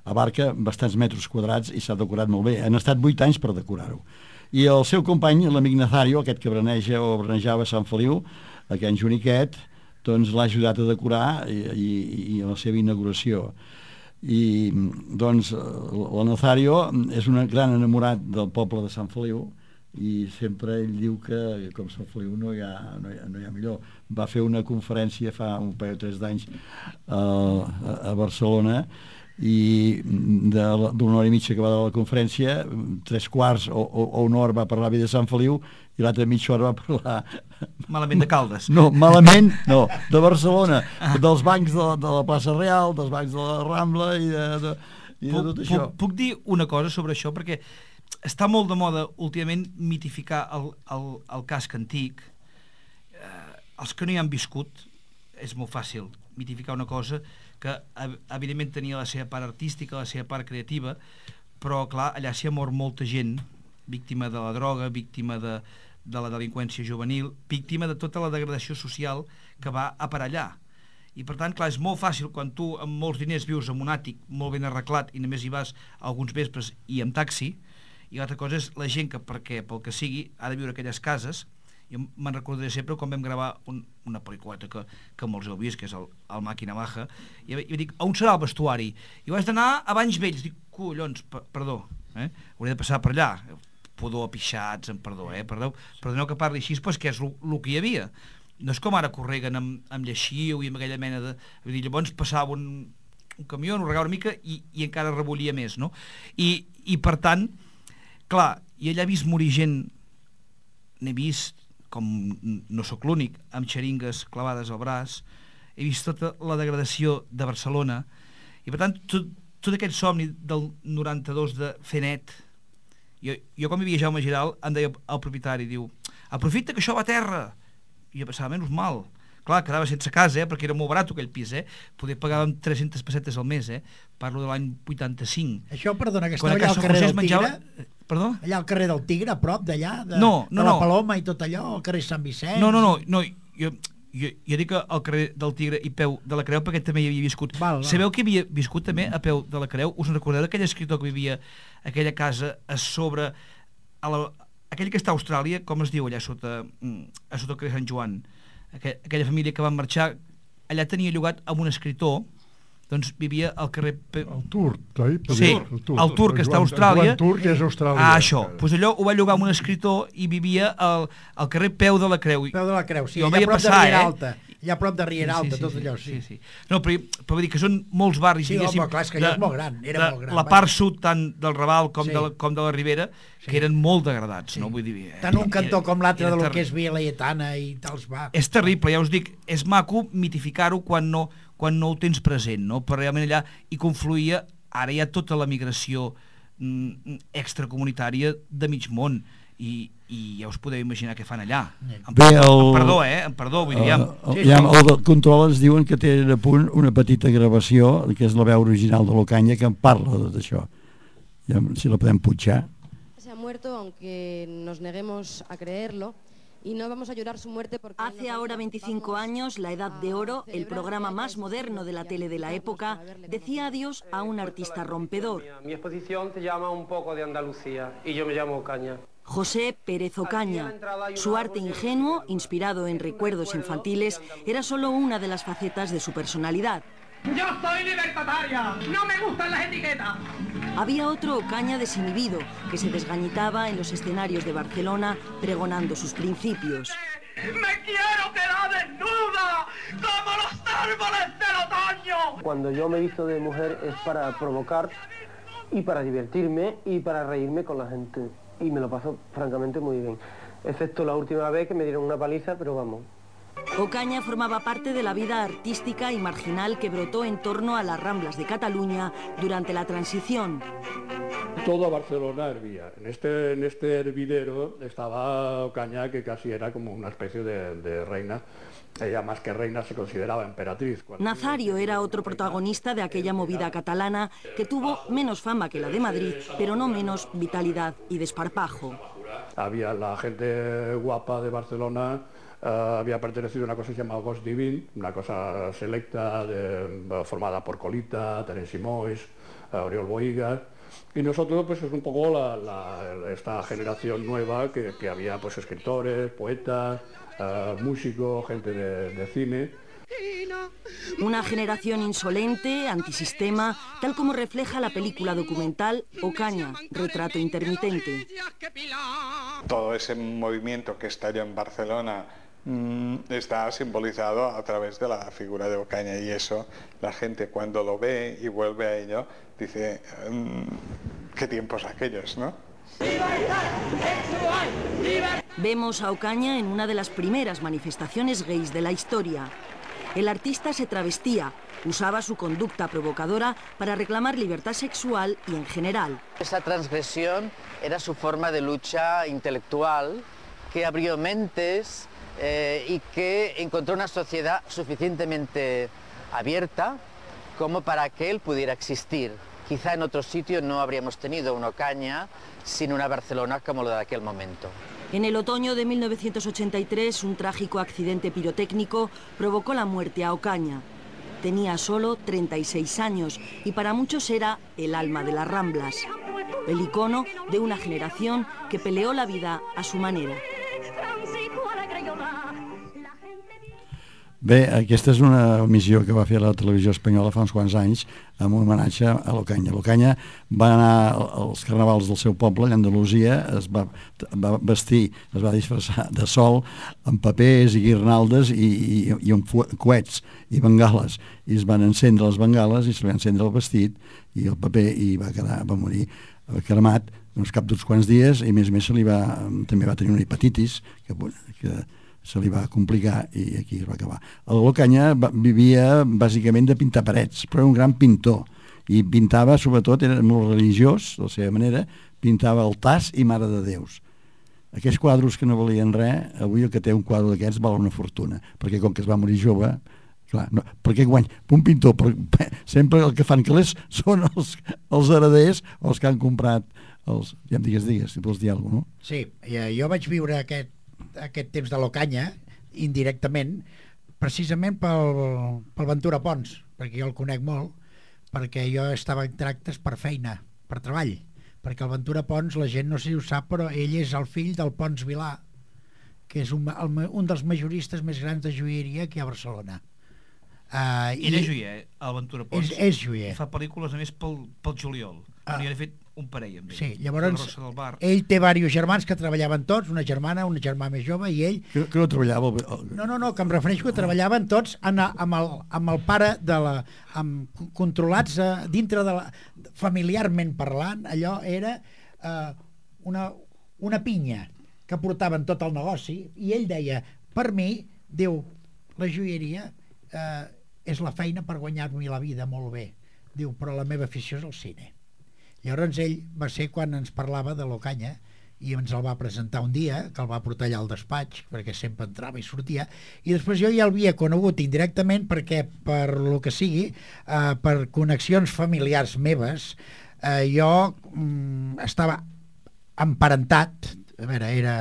abarca bastants metres quadrats i s'ha decorat molt bé. Han estat vuit anys per decorar-ho. I el seu company, l'amic Nazario, aquest que braneja o branejava a Sant Feliu, a Can Joniquet, doncs l'ha ajudat a decorar i, i, i a la seva inauguració. I doncs el Nazario és un gran enamorat del poble de Sant Feliu i sempre ell diu que com Sant Feliu no hi ha, no hi ha, no hi ha millor. Va fer una conferència fa un parell o tres d'anys a, a Barcelona i d'una hora i mitja que va de la conferència, tres quarts o, o, o una hora va parlar bé de Sant Feliu i l'altra mitja hora va parlar... Malament de Caldes. No, malament, no, de Barcelona, ah. dels bancs de, de la plaça Real, dels bancs de la Rambla i de, de, i de puc, tot això. Puc, puc dir una cosa sobre això, perquè està molt de moda últimament mitificar el, el, el casc antic. Eh, els que no hi han viscut, és molt fàcil mitificar una cosa que evidentment tenia la seva part artística, la seva part creativa, però clar, allà s'hi ha mort molta gent, víctima de la droga, víctima de, de la delinqüència juvenil, víctima de tota la degradació social que va a per allà. I per tant, clar, és molt fàcil quan tu amb molts diners vius en un àtic molt ben arreglat i només hi vas alguns vespres i amb taxi, i l'altra cosa és la gent que, perquè, pel que sigui, ha de viure a aquelles cases. Jo me'n recordaré sempre quan vam gravar un, una pel·lículeta que, que molts heu vist, que és el, el Màquina Baja, i jo dic, on serà el vestuari? I vaig d'anar a Banys Vells. Dic, collons, per, perdó, eh? hauré de passar per allà. Pudor, pixats, en perdó, eh? Perdó, perdoneu que parli així, però és que és el que hi havia. No és com ara correguen amb, amb lleixiu i amb aquella mena de... Vull dir, llavors passava un, un camió, ho regava una mica i, i encara rebollia més, no? I, i per tant, clar, i allà he vist morir gent, n'he vist, com no sóc l'únic, amb xeringues clavades al braç, he vist tota la degradació de Barcelona, i per tant, tot, tot aquest somni del noranta-dos de fer net, jo, jo quan vivia Jaume Giral, em deia el propietari, diu, aprofita que això va a terra, i jo pensava, menys mal, clar, quedava sense casa, eh, perquè era molt barat aquell pis, eh, poder pagàvem tres-centes pessetes al mes, eh, parlo de l'any vuitanta-cinc. Això, perdona, que Quan estava allà al carrer del menjava... Tigre? Perdó? Allà al carrer del Tigre, a prop d'allà, de, no, no, de la no. Paloma i tot allò, al carrer Sant Vicenç. No, no, no, no jo, jo, jo dic al carrer del Tigre i peu de la Creu perquè també hi havia viscut. Val, val. Sabeu que havia viscut també a peu de la Creu? Us en recordeu d'aquell escriptor que vivia a aquella casa a sobre, a la, aquell que està a Austràlia, com es diu allà sota, a sota el carrer Sant Joan? Aquella, aquella família que van marxar, allà tenia llogat amb un escriptor, doncs vivia al carrer... El turc, oi? Sí, el turc, el turc que està a Austràlia. El turc és Austràlia. Ah, això. Doncs pues allò ho va llogar amb un escritor i vivia al, al carrer Peu de la Creu. Peu de la Creu, sí, allà a prop passar, de Riera eh? Alta. Allà a prop de Riera Alta, sí, sí, tot allò, sí. sí, sí. No, però, però vull dir que són molts barris, sí, diguéssim... home, clar, és que allò és molt gran, era molt gran. La part sud, tant del Raval com, sí. de, la, com de la Ribera, sí. que eren molt degradats, sí. no? Vull dir... Tant un cantó com l'altre de lo ter... que és Via Laietana i tals va. És terrible, ja us dic, és maco mitificar-ho quan no... quan no ho tens present, no? Però realment allà hi confluïa, ara hi ha tota la migració mm, extracomunitària de mig món i, i ja us podeu imaginar què fan allà. Em, Bé, el, em perdó, eh? Em perdó, vull dir... El, el, sí, el, el control ens diuen que tenen a punt una petita gravació, que és la veu original de l'Ocaña, que en parla d'això. Ja, si la podem punxar. Se ha muerto, aunque nos neguemos a creerlo, y no vamos a llorar su muerte porque... Hace ahora veinticinco años, La Edad de Oro, el programa más moderno de la tele de la época, decía adiós a un artista rompedor. Mi exposición se llama Un poco de Andalucía y yo me llamo Ocaña. José Pérez Ocaña. Su arte ingenuo, inspirado en recuerdos infantiles, era solo una de las facetas de su personalidad. ¡Yo soy libertaria! ¡No me gustan las etiquetas! Había otro Ocaña desinhibido, que se desgañitaba en los escenarios de Barcelona pregonando sus principios. ¡Me quiero quedar desnuda! ¡Como los árboles del otoño! Cuando yo me visto de mujer es para provocar y para divertirme y para reírme con la gente. Y me lo paso francamente muy bien. Excepto la última vez que me dieron una paliza, pero vamos. Ocaña formaba parte de la vida artística y marginal que brotó en torno a las Ramblas de Cataluña durante la transición. Toda Barcelona hervía. En este, en este hervidero estaba Ocaña, que casi era como una especie de, de reina. Ella, más que reina, se consideraba emperatriz. Nazario era otro protagonista de aquella movida catalana que tuvo menos fama que la de Madrid, pero no menos vitalidad y desparpajo. Había la gente guapa de Barcelona. Uh, había pertenecido a una cosa que se llamaba Gos Divin, una cosa selecta de, uh, formada por Colita, Terence Moix, uh, Oriol Bohigas, y nosotros pues es un poco la, la, esta generación nueva que, que había pues escritores, poetas, uh, músicos, gente de, de cine. Una generación insolente, antisistema, tal como refleja la película documental Ocaña, retrato intermitente. Todo ese movimiento que estalló en Barcelona está simbolizado a través de la figura de Ocaña, y eso la gente cuando lo ve y vuelve a ello dice mmm, qué tiempos aquellos, ¿no? Vemos a Ocaña en una de las primeras manifestaciones gays de la historia. El artista se travestía, usaba su conducta provocadora para reclamar libertad sexual y en general. Esa transgresión era su forma de lucha intelectual que abrió mentes eh, y que encontró una sociedad suficientemente abierta como para que él pudiera existir. Quizá en otro sitio no habríamos tenido una Ocaña sin una Barcelona como la de aquel momento. En el otoño de mil novecientos ochenta y tres, un trágico accidente pirotécnico provocó la muerte a Ocaña. Tenía solo treinta y seis años y para muchos era el alma de las Ramblas, el icono de una generación que peleó la vida a su manera. Bé, aquesta és una missió que va fer la televisió espanyola fa uns quants anys amb un homenatge a l'Ocaña. L'Ocaña va anar als carnavals del seu poble, l'Andalusia, es va, va vestir, es va disfressar de sol amb papers i guirnaldes i, i, i amb coets i bengales, i es van encendre les bengales i se li va encendre el vestit i el paper i va quedar, va morir cremat uns cap d'uns quants dies, i a més a més se li va, també va tenir una hepatitis que, que se li va complicar i aquí es va acabar. L'Ocaña vivia bàsicament de pintar parets, però era un gran pintor i pintava, sobretot, era molt religiós, de la seva manera, pintava altars i Mare de Déus. Aquests quadros que no valien res, avui el que té un quadre d'aquests val una fortuna, perquè com que es va morir jove, clar, no, perquè guany, un pintor, però, sempre el que fan calés són els, els hereders o els que han comprat els, ja em digues, digues, si vols dir alguna cosa, no? Sí, jo vaig viure aquest aquest temps de l'Ocaña, indirectament, precisament pel, pel Ventura Pons, perquè jo el conec molt, perquè jo estava en tractes per feina, per treball, perquè el Ventura Pons, la gent no sé si ho sap, però ell és el fill del Pons Vilà, que és un, el, un dels majoristes més grans de joieria aquí a Barcelona. Uh, ell és joier, el Ventura Pons. És, és joier. Fa pel·lícules, a més, pel, pel juliol. Uh, I ha fet un parell amb ell. Sí, llavors ell té diversos germans que treballaven tots, una germana, una germà més jove, i ell... Que, que no treballava... No, no, no, que em refereixo que treballaven tots en, amb, el, amb el pare de la... Amb, controlats uh, dintre de la... familiarment parlant, allò era uh, una, una pinya que portaven tot el negoci, i ell deia, per mi, diu, la joieria uh, és la feina per guanyar-me la vida molt bé. Diu, però la meva afició és el cine. Llavors ell va ser quan ens parlava de l'Ocaña i ens el va presentar un dia, que el va portar allà al despatx, perquè sempre entrava i sortia, i després jo ja l'havia conegut indirectament perquè, per lo que sigui, eh, per connexions familiars meves, eh, jo mm, estava emparentat, a veure, era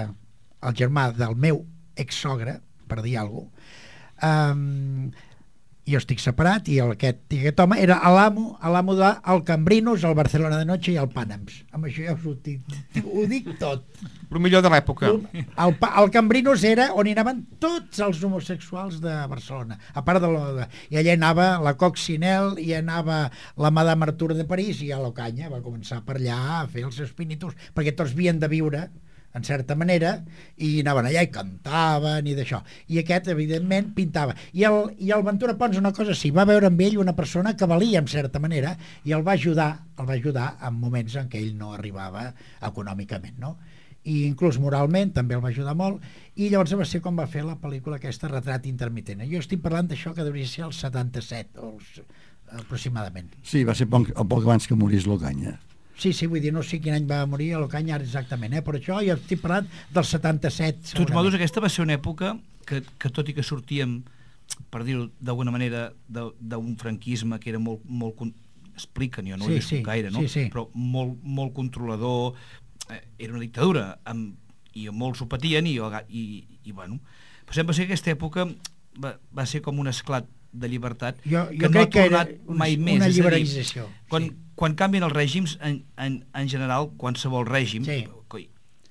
el germà del meu ex-sogre, per dir alguna cosa, um, jo estic separat i el, aquest, i aquest home era l'amo l'amo del Cambrinos, el Barcelona de Noche i el Pànams. Amb això ja us ho dic, ho dic tot. El millor de l'època. El, el Cambrinos era on hi anaven tots els homosexuals de Barcelona, a part de, lo, de i allà anava la Coccinelle, i anava la Madame Artur de París, i a l'Ocaña va començar per allà a fer els seus pinitos, perquè tots havien de viure en certa manera, i anaven allà i cantaven i d'això, i aquest evidentment pintava, i el, i el Ventura Pons una cosa sí, va veure amb ell una persona que valia en certa manera, i el va ajudar el va ajudar en moments en què ell no arribava econòmicament, no? I inclús moralment també el va ajudar molt, i llavors va ser com va fer la pel·lícula aquesta, Retrat intermitent. Jo estic parlant d'això que devia ser el setanta-set o els, aproximadament. Sí, va ser poc, poc abans que morís l'Ocaña. Sí, sí, vull dir, no sé quin any va morir a l'Ocaña exactament, eh? Per això jo estic parlant del setanta-set. De tots modos, aquesta va ser una època que, que tot i que sortíem, per dir-ho d'alguna manera, d'un franquisme que era molt, molt expliquen, jo no ho he sí, viscut gaire, no? Sí, sí. Però molt, molt controlador, eh, era una dictadura, amb, i molts ho patien, i, i, i bueno, però sempre va ser que aquesta època va, va ser com un esclat de llibertat jo, jo que no ha tornat que una, mai més. Una és liberalització. A dir, quan, sí. quan canvien els règims, en, en, en general, qualsevol règim, sí.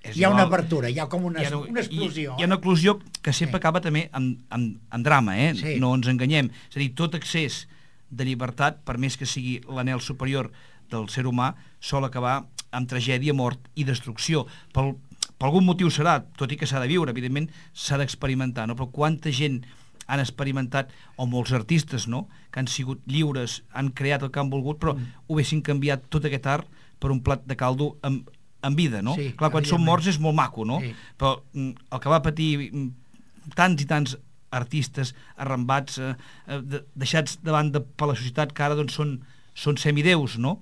és hi ha igual, una apertura, hi ha com una, hi ha, una explosió. Hi, hi ha una eclosió que sempre sí. acaba també amb, amb, amb drama, eh? Sí. No ens enganyem. És a dir, tot excés de llibertat, per més que sigui l'anhel superior del ser humà, sol acabar amb tragèdia, mort i destrucció. Pel, per algun motiu serà, tot i que s'ha de viure, evidentment s'ha d'experimentar, no? Però quanta gent han experimentat, o molts artistes, no?, que han sigut lliures, han creat el que han volgut, però mm. ho haguessin canviat tot aquest art per un plat de caldo amb, amb vida, no? Sí, clar, quan són morts és molt maco, no? Sí. Però mm, el que va patir mm, tants i tants artistes arrambats, eh, eh, deixats de banda per la societat, que ara doncs, són, són semideus, no?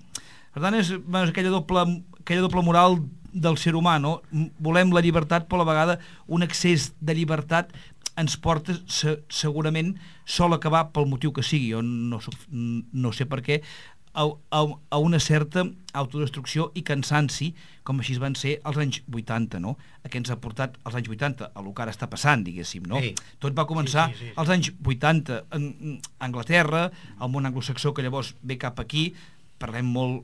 Per tant, és, és aquella, doble, aquella doble moral del ser humà, no? Volem la llibertat, però a la vegada un excés de llibertat ens porta se, segurament sol acabar pel motiu que sigui, jo no, soc, no sé per què, a, a, a una certa autodestrucció i cansanci, com així van ser als anys vuitanta, no? A què ens ha portat als anys vuitanta, a lo que ara està passant, diguéssim, no? Sí. Tot va començar sí, sí, sí. als anys vuitanta en Anglaterra, el món anglosaxó que llavors ve cap aquí, parlem molt,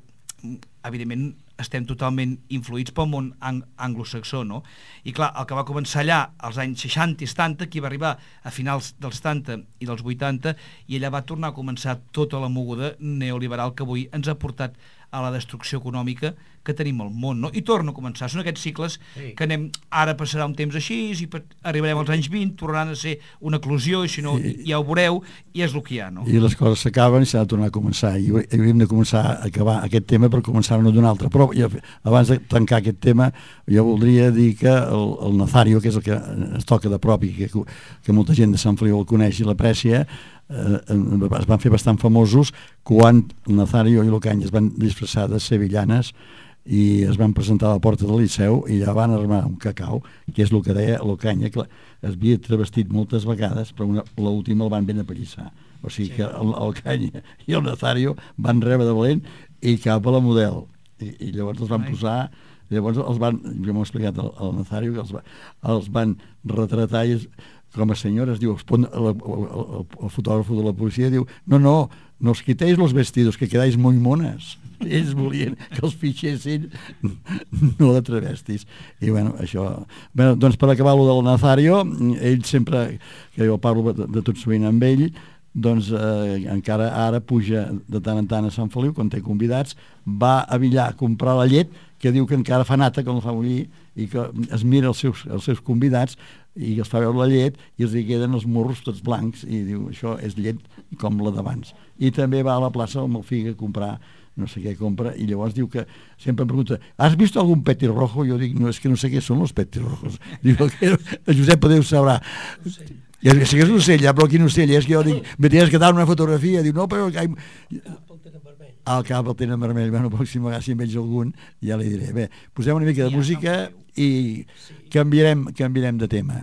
evidentment estem totalment influïts pel món ang anglosaxó, no? I clar, el que va començar allà als anys seixanta i setanta, qui va arribar a finals dels setanta i dels vuitanta, i allà va tornar a començar tota la moguda neoliberal que avui ens ha portat a la destrucció econòmica que tenim al món, no? I torna a començar. Són aquests cicles sí. que anem, ara passarà un temps així, i arribarem als anys vint, tornaran a ser una eclosió, i si no, sí. ja ho veureu, i és el que hi ha, no? I les coses s'acaben i s'ha de tornar a començar, i hauríem de començar a acabar aquest tema per començar-ne d'un altre. Però jo, abans de tancar aquest tema, jo voldria dir que el, el Nazario, que és el que es toca de prop i que, que molta gent de Sant Feliu el coneix i l'aprecia, eh, es van fer bastant famosos quan el Nazario i l'Ocaña es van disfressar de sevillanes i es van presentar a la porta del Liceu i ja van armar un cacau, que és el que deia l'Ocaña, que es havia travestit moltes vegades, però l'última el van ben apallissar. O sigui sí. que l'Ocaña i el Nazario van rebre de valent i cap a la model. I, i llavors els van Ai. posar, llavors els van, jo m'ho he explicat al, al Nazario, que els, va, els van retratar i es, com a senyora es diu, el, el, el, el fotògrafo de la policia diu, no, no, no os quitéis los vestidos, que quedáis muy monas. Ells volien que els fitxessin, no de travestis. I bueno, això... Bé, doncs per acabar lo del Nazario, ell sempre, que jo parlo de, de tot sovint amb ell, doncs eh, encara ara puja de tant en tant a Sant Feliu, quan té convidats, va a Villar a comprar la llet, que diu que encara fa nata quan el fa bullir, i que es mira els seus, els seus convidats i els fa veure la llet i els hi queden els morros tots blancs i diu, això és llet com la d'abans. I també va a la plaça amb el figa a comprar no sé què compra, i llavors diu que sempre em pregunta, has vist algun petirrojo? Jo dic, no, és que no sé què són els petirrojos. Diu que el Josep Podeu sabrà. Ja sé que és un ocell, ja, però quin ocell és, que jo dic, me tens que dar una fotografia, diu, no, però... Al cap el tenen vermell, bueno, pròxima vegada si en veig algun ja li diré. Bé, posem una mica de música i canviarem, canviarem de tema.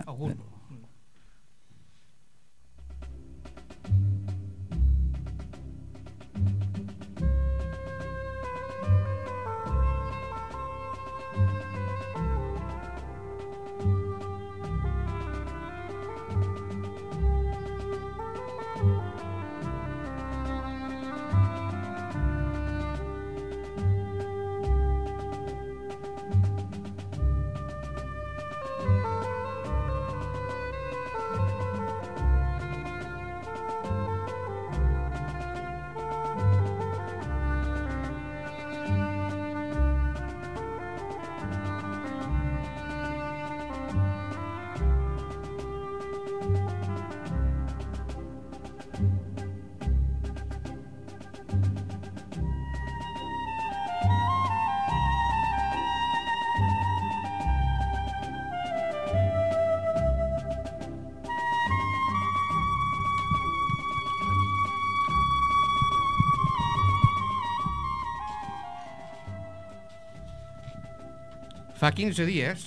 Fa quinze dies,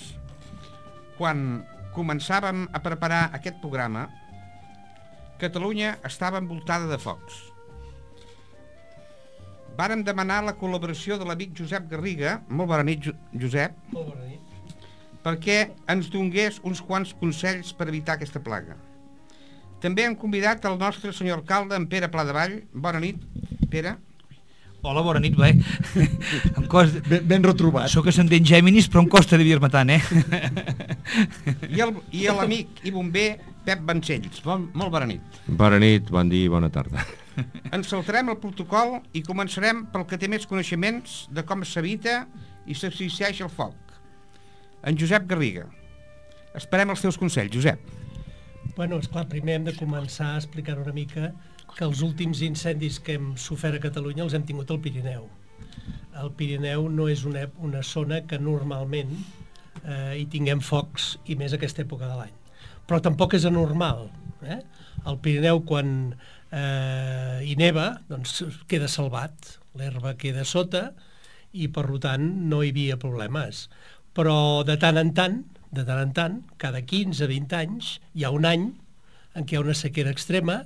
quan començàvem a preparar aquest programa, Catalunya estava envoltada de focs. Vàrem demanar la col·laboració de l'amic Josep Garriga, molt bona nit, Josep, molt bona nit, perquè ens donés uns quants consells per evitar aquesta plaga. També hem convidat el nostre senyor alcalde, en Pere Pladevall. Bona nit, Pere. Hola, bona nit, bé. Em costa... ben, ben retrobat. Soc ascendent Géminis, però em costa de dir-me tant, eh? I el, i l'amic i bomber Pep Vancells. Bon, molt bona nit. Bona nit, bon dia i bona tarda. Ens saltarem el protocol i començarem pel que té més coneixements de com s'evita i s'existeix el foc. En Josep Garriga. Esperem els teus consells, Josep. Bueno, esclar, primer hem de començar a explicar una mica que els últims incendis que hem sofert a Catalunya els hem tingut al Pirineu. El Pirineu no és una, una zona que normalment eh, hi tinguem focs, i més aquesta època de l'any. Però tampoc és anormal. Eh? El Pirineu, quan eh, hi neva, doncs queda salvat, l'herba queda sota i per tant no hi havia problemes. Però de tant en tant, de tant en tant, cada quinze a vint anys, hi ha un any en què hi ha una sequera extrema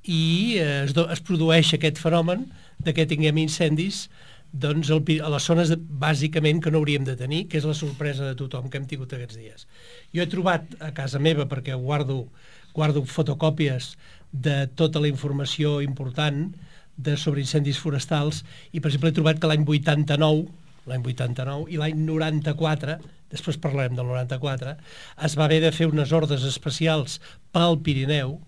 i eh, es, do, es produeix aquest fenomen de que tinguem incendis doncs, el, a les zones de, bàsicament que no hauríem de tenir, que és la sorpresa de tothom que hem tingut aquests dies. Jo he trobat a casa meva, perquè guardo, guardo fotocòpies de tota la informació important de, sobre incendis forestals, i per exemple he trobat que l'any vuitanta-nou, l'any vuitanta-nou i l'any noranta-quatre, després parlarem del noranta-quatre, es va haver de fer unes ordres especials pel Pirineu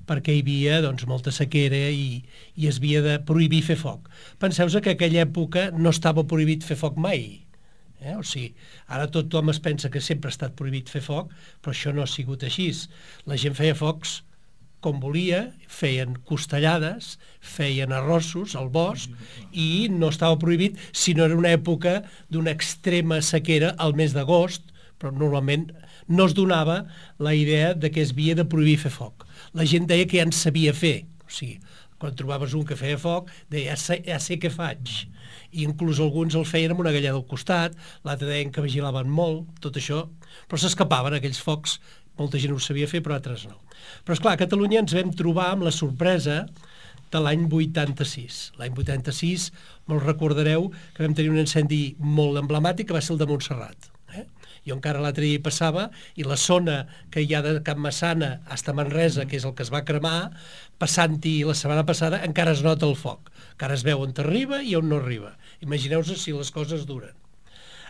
perquè hi havia doncs, molta sequera i, i es havia de prohibir fer foc. Penseu-vos que en aquella època no estava prohibit fer foc mai. Eh? O sigui, ara tothom es pensa que sempre ha estat prohibit fer foc, però això no ha sigut així. La gent feia focs com volia, feien costellades, feien arrossos al bosc i no estava prohibit si no era una època d'una extrema sequera al mes d'agost, però normalment no es donava la idea de que es havia de prohibir fer foc. La gent deia que ja en sabia fer, o sigui, quan trobaves un que feia foc, deia, ja sé, ja sé què faig. I inclús alguns el feien amb una galleda al costat, l'altre deien que vigilaven molt, tot això, però s'escapaven aquells focs, molta gent ho sabia fer, però altres no. Però esclar, a Catalunya ens vam trobar amb la sorpresa de l'any vuitanta-sis. L'any vuitanta-sis, molt recordareu que vam tenir un incendi molt emblemàtic, que va ser el de Montserrat. Eh? Jo encara l'altre dia hi passava, i la zona que hi ha de Can Massana fins a Manresa, que és el que es va cremar, passant-hi la setmana passada, encara es nota el foc. Encara es veu on arriba i on no arriba. Imagineu-vos si les coses duren.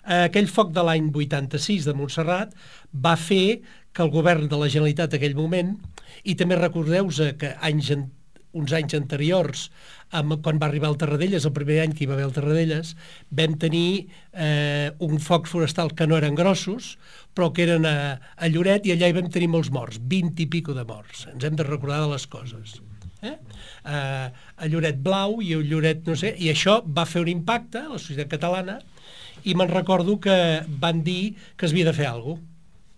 Aquell foc de l'any vuitanta-sis de Montserrat va fer que el govern de la Generalitat en aquell moment, i també recordeu-vos que anys, uns anys anteriors, amb, quan va arribar el Tarradellas, el primer any que hi va haver el Tarradellas, vam tenir eh, un foc forestal que no eren grossos, però que eren a, a Lloret, i allà hi vam tenir molts morts, vint i pico de morts. Ens hem de recordar de les coses. Eh? Eh, a Lloret Blau i a Lloret no sé, i això va fer un impacte a la societat catalana, i me'n recordo que van dir que es havia de fer alguna cosa.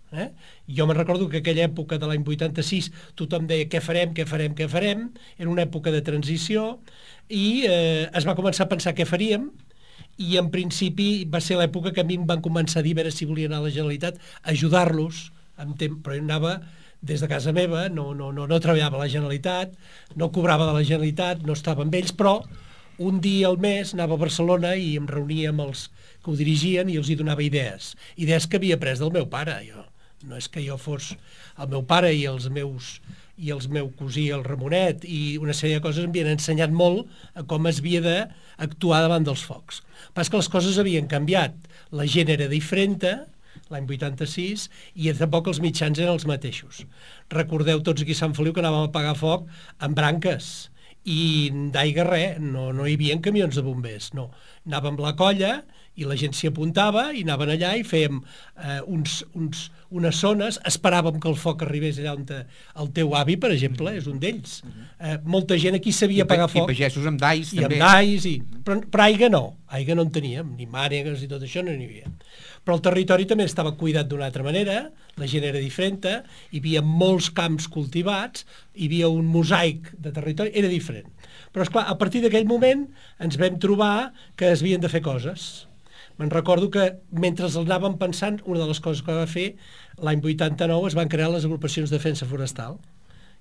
Eh? Jo me'n recordo que aquella època de l'any vuitanta-sis tothom deia què farem, què farem, què farem, era una època de transició i eh, es va començar a pensar què faríem, i en principi va ser l'època que a mi em van començar a dir a veure si volia anar a la Generalitat a ajudar-los, però jo anava des de casa meva, no, no, no, no treballava a la Generalitat, no cobrava de la Generalitat, no estava amb ells, però un dia al mes anava a Barcelona i em reunia amb els que ho dirigien i els hi donava idees, idees que havia après del meu pare. Jo no és que jo fos el meu pare i els meus i els meu cosí, el Ramonet, i una sèrie de coses em havien ensenyat molt a com es havia d'actuar davant dels focs. Però és que les coses havien canviat, la gent era diferent, l'any vuitanta-sis, i tampoc els mitjans eren els mateixos. Recordeu tots aquí a Sant Feliu que anàvem a apagar foc amb branques, i d'aigua res, no, no hi havia camions de bombers, no. Anàvem a la colla i la gent s'hi apuntava i anaven allà i fèiem eh, uns, uns, unes zones, esperàvem que el foc arribés allà on te, el teu avi, per exemple, és un d'ells. Eh, molta gent aquí sabia apagar foc. I pagesos amb dais, I també. I amb dais, i... però, però aigua no, aigua no en teníem, ni mànegues i tot això no n'hi havia. Però el territori també estava cuidat d'una altra manera, la gent era diferent, hi havia molts camps cultivats, hi havia un mosaic de territori, era diferent. Però, esclar, a partir d'aquell moment ens vam trobar que es havien de fer coses. Me'n recordo que mentre el anàvem pensant, una de les coses que va fer, l'any vuitanta-nou es van crear les agrupacions de defensa forestal.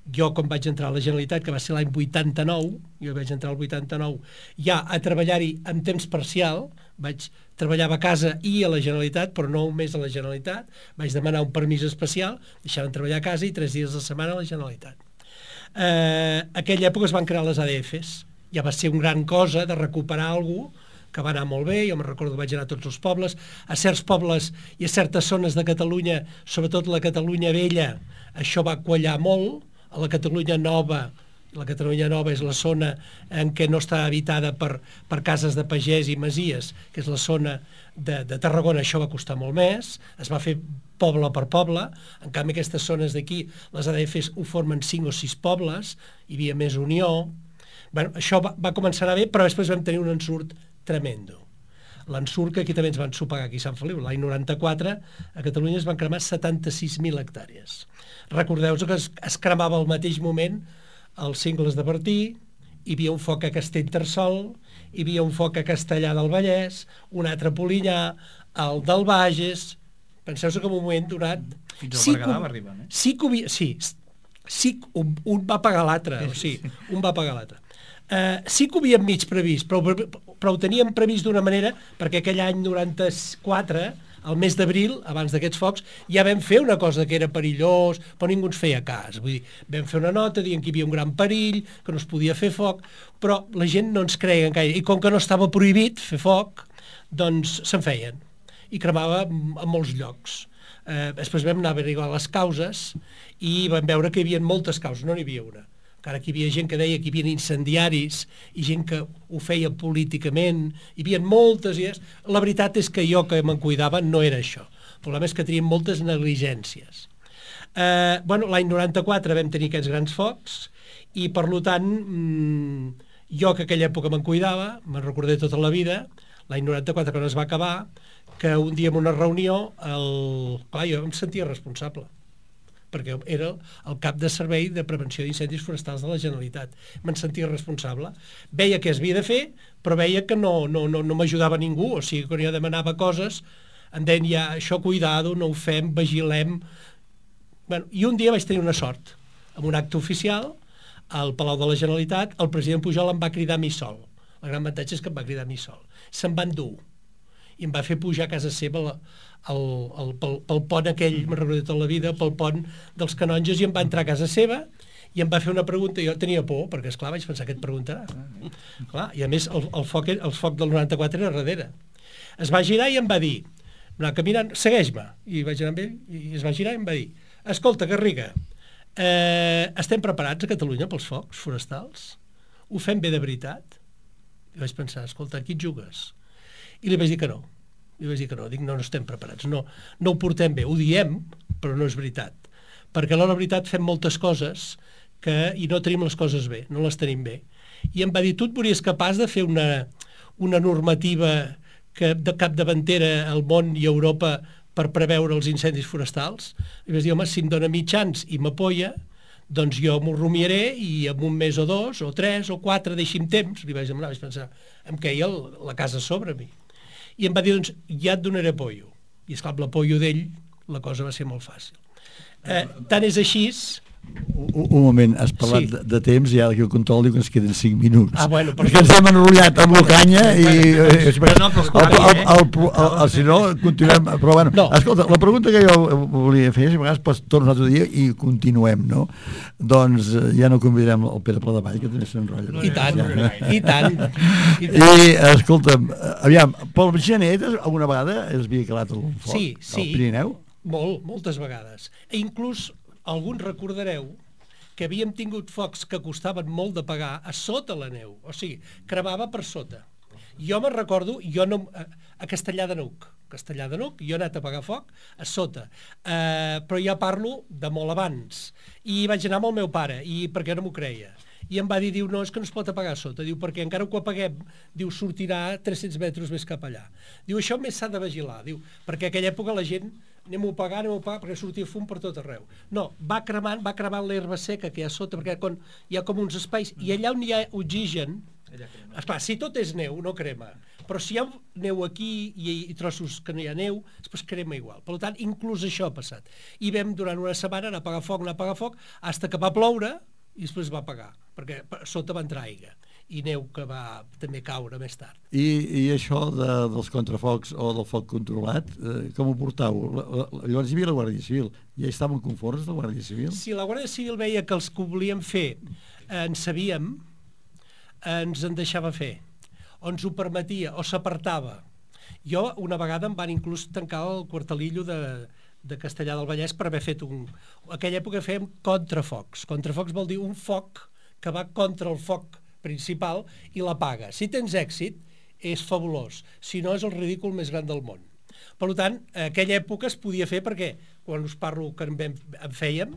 Jo, quan vaig entrar a la Generalitat, que va ser l'any vuitanta-nou, jo vaig entrar al vuitanta-nou, ja a treballar-hi en temps parcial, vaig treballar a casa i a la Generalitat, però no només a la Generalitat, vaig demanar un permís especial, deixaven treballar a casa i tres dies a la setmana a la Generalitat. Eh, aquella època es van crear les A D Fs, ja va ser una gran cosa de recuperar algú que va anar molt bé, jo me'n recordo que vaig anar a tots els pobles, a certs pobles i a certes zones de Catalunya, sobretot la Catalunya vella, això va quallar molt, a la Catalunya nova, la Catalunya nova és la zona en què no està habitada per, per cases de pagès i masies, que és la zona de, de Tarragona, això va costar molt més, es va fer poble per poble, en canvi aquestes zones d'aquí, les A D Fs ho formen cinc o sis pobles, hi havia més unió, bueno, això va, va començar a anar bé, però després vam tenir un ensurt tremendo. L'ensurt que aquí també ens van sopegar aquí a Sant Feliu. L'any noranta-quatre a Catalunya es van cremar setanta-sis mil hectàrees. Recordeu-vos que es, es cremava al mateix moment els cingles de Bertí, hi havia un foc a Castellterçol, hi havia un foc a Castellar del Vallès, un altre a Polinyà, el del Bages. Penseu-vos que en un moment donat... Fins al sí Berguedà que, va arribar, eh? Sí que havia... Sí, sí un, un va pagar l'altre, o sigui, un va pagar l'altre. Uh, sí que ho havíem mig previst, però, però ho teníem previst d'una manera, perquè aquell any noranta-quatre, al mes d'abril, abans d'aquests focs, ja vam fer una cosa que era perillós, però ningú ens feia cas. Vull dir, vam fer una nota dient que hi havia un gran perill, que no es podia fer foc, però la gent no ens creia gaire. I com que no estava prohibit fer foc, doncs se'n feien. I cremava a molts llocs. Uh, després vam anar a averiguar les causes i vam veure que hi havia moltes causes, no n'hi havia una. Encara que hi havia gent que deia que hi havia incendiaris i gent que ho feia políticament, hi havia moltes idees. La veritat és que jo que me'n cuidava no era això. El problema és que teníem moltes negligències. Eh, bueno, l'any noranta-quatre vam tenir aquests grans focs i per tant mmm, jo que aquella època me'n cuidava, me'n recordé tota la vida, l'any noranta-quatre quan es va acabar, que un dia en una reunió, el... clar, jo em sentia responsable, perquè era el cap de servei de prevenció d'incendis forestals de la Generalitat. Me'n sentia responsable. Veia què es havia de fer, però veia que no, no, no, no m'ajudava ningú. O sigui, quan jo demanava coses, em deien ja, això cuidado, no ho fem, vigilem... Bueno, i un dia vaig tenir una sort. En un acte oficial, al Palau de la Generalitat, el president Pujol em va cridar a mi sol. El gran avantatge és que em va cridar a mi sol. Se'n va endur. I em va fer pujar a casa seva la, el, el, pel, pel pont aquell, me'n recordo tota la vida, pel pont dels canonges, i em va entrar a casa seva i em va fer una pregunta. Jo tenia por, perquè esclar vaig pensar que et preguntarà. Clar, i a més el, el, foc, el foc del noranta-quatre era darrere. Es va girar i em va dir, anar caminant, segueix-me. I vaig anar amb ell i es va girar i em va dir, escolta, Garriga, eh, estem preparats a Catalunya pels focs forestals? Ho fem bé de veritat? I vaig pensar, escolta, aquí et jugues? I li vaig dir que no. Li vaig dir que no. Dic, no, no estem preparats. No, no ho portem bé. Ho diem, però no és veritat. Perquè a la veritat fem moltes coses que, i no tenim les coses bé, no les tenim bé. I em va dir, tu et veuries capaç de fer una, una normativa que de capdavantera al món i a Europa per preveure els incendis forestals? I vaig dir, home, si em dona mitjans i m'apoya, doncs jo m'ho rumiaré i en un mes o dos, o tres, o quatre, deixi'm temps. Li vaig demanar, vaig pensar, em queia el, la casa sobre mi. I em va dir, doncs, ja et donaré apoyo. I, esclar, amb l'apoyo d'ell, la cosa va ser molt fàcil. Eh, tant és així... Un, un moment, has parlat sí. de, de temps i ara aquí el control diu que ens queden cinc minuts. Ah, bueno, perquè ens hem enrotllat amb l'Ocanya i... Si no, continuem... Però bueno, no. Escolta, la pregunta que jo volia fer, si a vegades pots tornar un altre dia i continuem, no? Doncs ja no convidarem el Pere Pladevall, que també s'enrotlla. I tant, i tant. I, escolta'm, aviam, pel gener alguna vegada es havia calat el foc sí, sí. al Pirineu? Molt, moltes vegades. E inclús alguns recordareu que havíem tingut focs que costaven molt de pagar a sota la neu, o sigui, cremava per sota. Jo me'n recordo, jo no, a, a Castellar de Nuc, Castellar de Nuc, jo he anat a pagar foc a sota, uh, però ja parlo de molt abans, i vaig anar amb el meu pare, i perquè no m'ho creia. I em va dir, diu, no, és que no es pot apagar a sota, diu, perquè encara que ho apaguem, diu, sortirà tres-cents metres més cap allà. Diu, això més s'ha de vigilar, diu, perquè a aquella època la gent anem-ho a pagar, anem-ho a pagar, perquè sortia fum per tot arreu. No, va cremant, va cremant l'herba seca que hi ha sota, perquè quan hi ha com uns espais, i allà on hi ha oxigen, Esclar, si tot és neu, no crema. Però si hi ha neu aquí i, i trossos que no hi ha neu, després crema igual. Per tant, inclús això ha passat. I vam durant una setmana anar a apagar foc, anar a apagar foc, fins que va ploure i després va apagar, perquè sota va entrar aigua i neu que va també caure més tard. I, i això de, dels contrafocs o del foc controlat, eh, com ho portau? La, la, llavors hi havia la Guàrdia Civil. Ja estaven conformes, la Guàrdia Civil? Si la Guàrdia Civil veia que els que ho volíem fer eh, en sabíem, eh, ens en deixava fer, o ens ho permetia, o s'apartava. Jo, una vegada, em van inclús tancar el quartelillo de, de Castellà del Vallès per haver fet un... En aquella època fèiem contrafocs. Contrafocs vol dir un foc que va contra el foc principal i l'apaga. Si tens èxit, és fabulós. Si no, és el ridícul més gran del món. Per tant, en aquella època es podia fer perquè, quan us parlo que en, vam, en fèiem,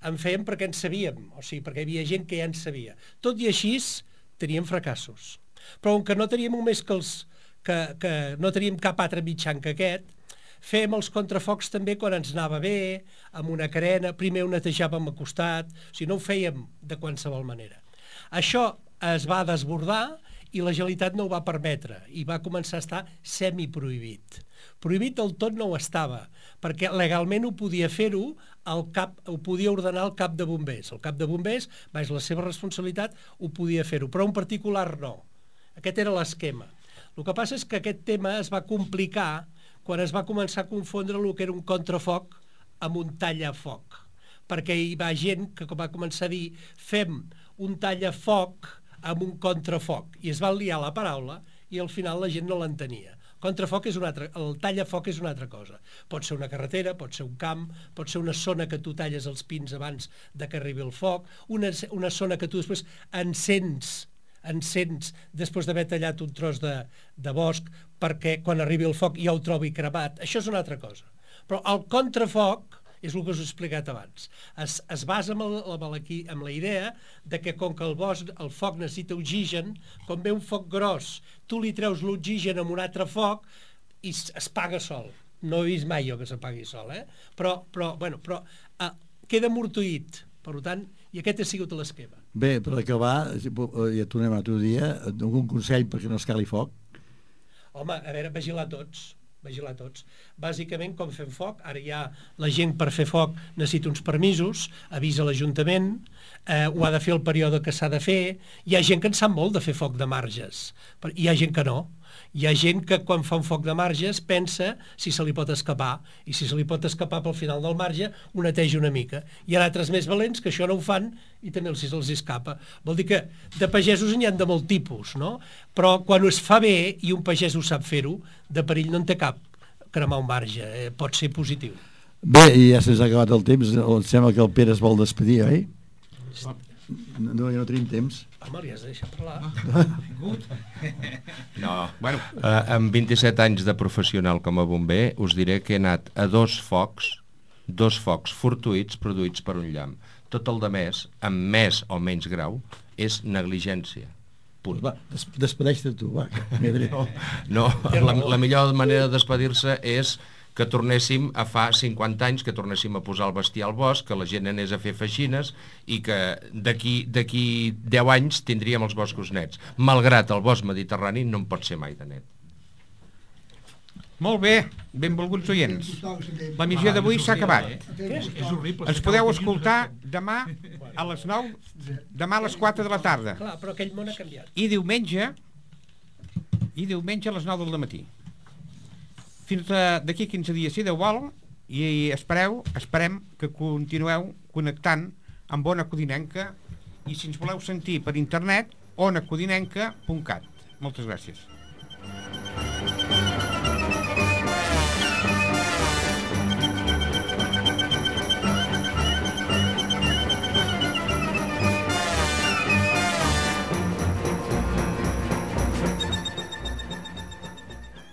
en fèiem perquè en sabíem, o sigui, perquè hi havia gent que ja en sabia. Tot i així, teníem fracassos. Però com que no teníem només que els... que, que no teníem cap altre mitjan que aquest, fèiem els contrafocs també quan ens anava bé, amb una carena, primer ho netejàvem a costat, o sigui, no ho fèiem de qualsevol manera. Això es va desbordar i la Generalitat no ho va permetre i va començar a estar semiprohibit. Prohibit del tot no ho estava, perquè legalment ho podia fer-ho, el cap, ho podia ordenar el cap de bombers. El cap de bombers, baix la seva responsabilitat, ho podia fer-ho, però un particular no. Aquest era l'esquema. El que passa és que aquest tema es va complicar quan es va començar a confondre el que era un contrafoc amb un tallafoc, perquè hi va gent que va començar a dir fem un tallafoc amb un contrafoc, i es va liar la paraula i al final la gent no l'entenia. Contrafoc és una altra, el tallafoc és una altra cosa. Pot ser una carretera, pot ser un camp, pot ser una zona que tu talles els pins abans de que arribi el foc, una, una zona que tu després encens, encens després d'haver tallat un tros de, de bosc perquè quan arribi el foc ja ho trobi cremat. Això és una altra cosa. Però el contrafoc és el que us he explicat abans. Es, es basa en, el, en, la, en la idea de que com que el bosc, el foc necessita oxigen, quan ve un foc gros, tu li treus l'oxigen amb un altre foc i es, es paga sol. No he vist mai jo que s'apagui sol, eh? Però, però, bueno, però eh, queda amortuït, per tant, i aquest ha sigut l'esquema. Bé, per acabar, ja tornem a l'altre dia, algun consell perquè no es cali foc? Home, a veure, vigilar tots. vigilar tots. Bàsicament, com fem foc, ara ja la gent per fer foc necessita uns permisos, avisa l'Ajuntament, eh, ho ha de fer el període que s'ha de fer, hi ha gent que en sap molt de fer foc de marges, hi ha gent que no, hi ha gent que quan fa un foc de marges pensa si se li pot escapar, i si se li pot escapar pel final del marge, ho neteja una mica. Hi ha altres més valents que això no ho fan i també els, els escapa. Vol dir que de pagesos n'hi ha de molt tipus, no? Però quan es fa bé i un pagès ho sap fer-ho, de perill no en té cap cremar un marge, eh, pot ser positiu. Bé, i ja se'ns ha acabat el temps, em sembla que el Pere es vol despedir, oi? No, ja no tenim temps. Home, li has de deixar parlar. No, bueno, uh, amb vint-i-set anys de professional com a bomber, us diré que he anat a dos focs, dos focs fortuïts produïts per un llamp. Tot el de més, amb més o menys grau, és negligència. Punt. Va, des despedeix-te tu, va. No, no la, la millor manera de despedir-se és que tornéssim a fa cinquanta anys, que tornéssim a posar el bestiar al bosc, que la gent anés a fer feixines i que d'aquí deu anys tindríem els boscos nets. Malgrat el bosc mediterrani no en pot ser mai de net. Molt bé, benvolguts oients. La missió d'avui s'ha acabat. Ens podeu escoltar demà a les nou, demà a les quatre de la tarda. Clar, però aquell món ha canviat. I diumenge, i diumenge a les nou del matí. Fins d'aquí quinze dies, si Déu vol, i espereu, esperem que continueu connectant amb Ona Codinenca, i si ens voleu sentir per internet, ona codinenca punt cat. Moltes gràcies.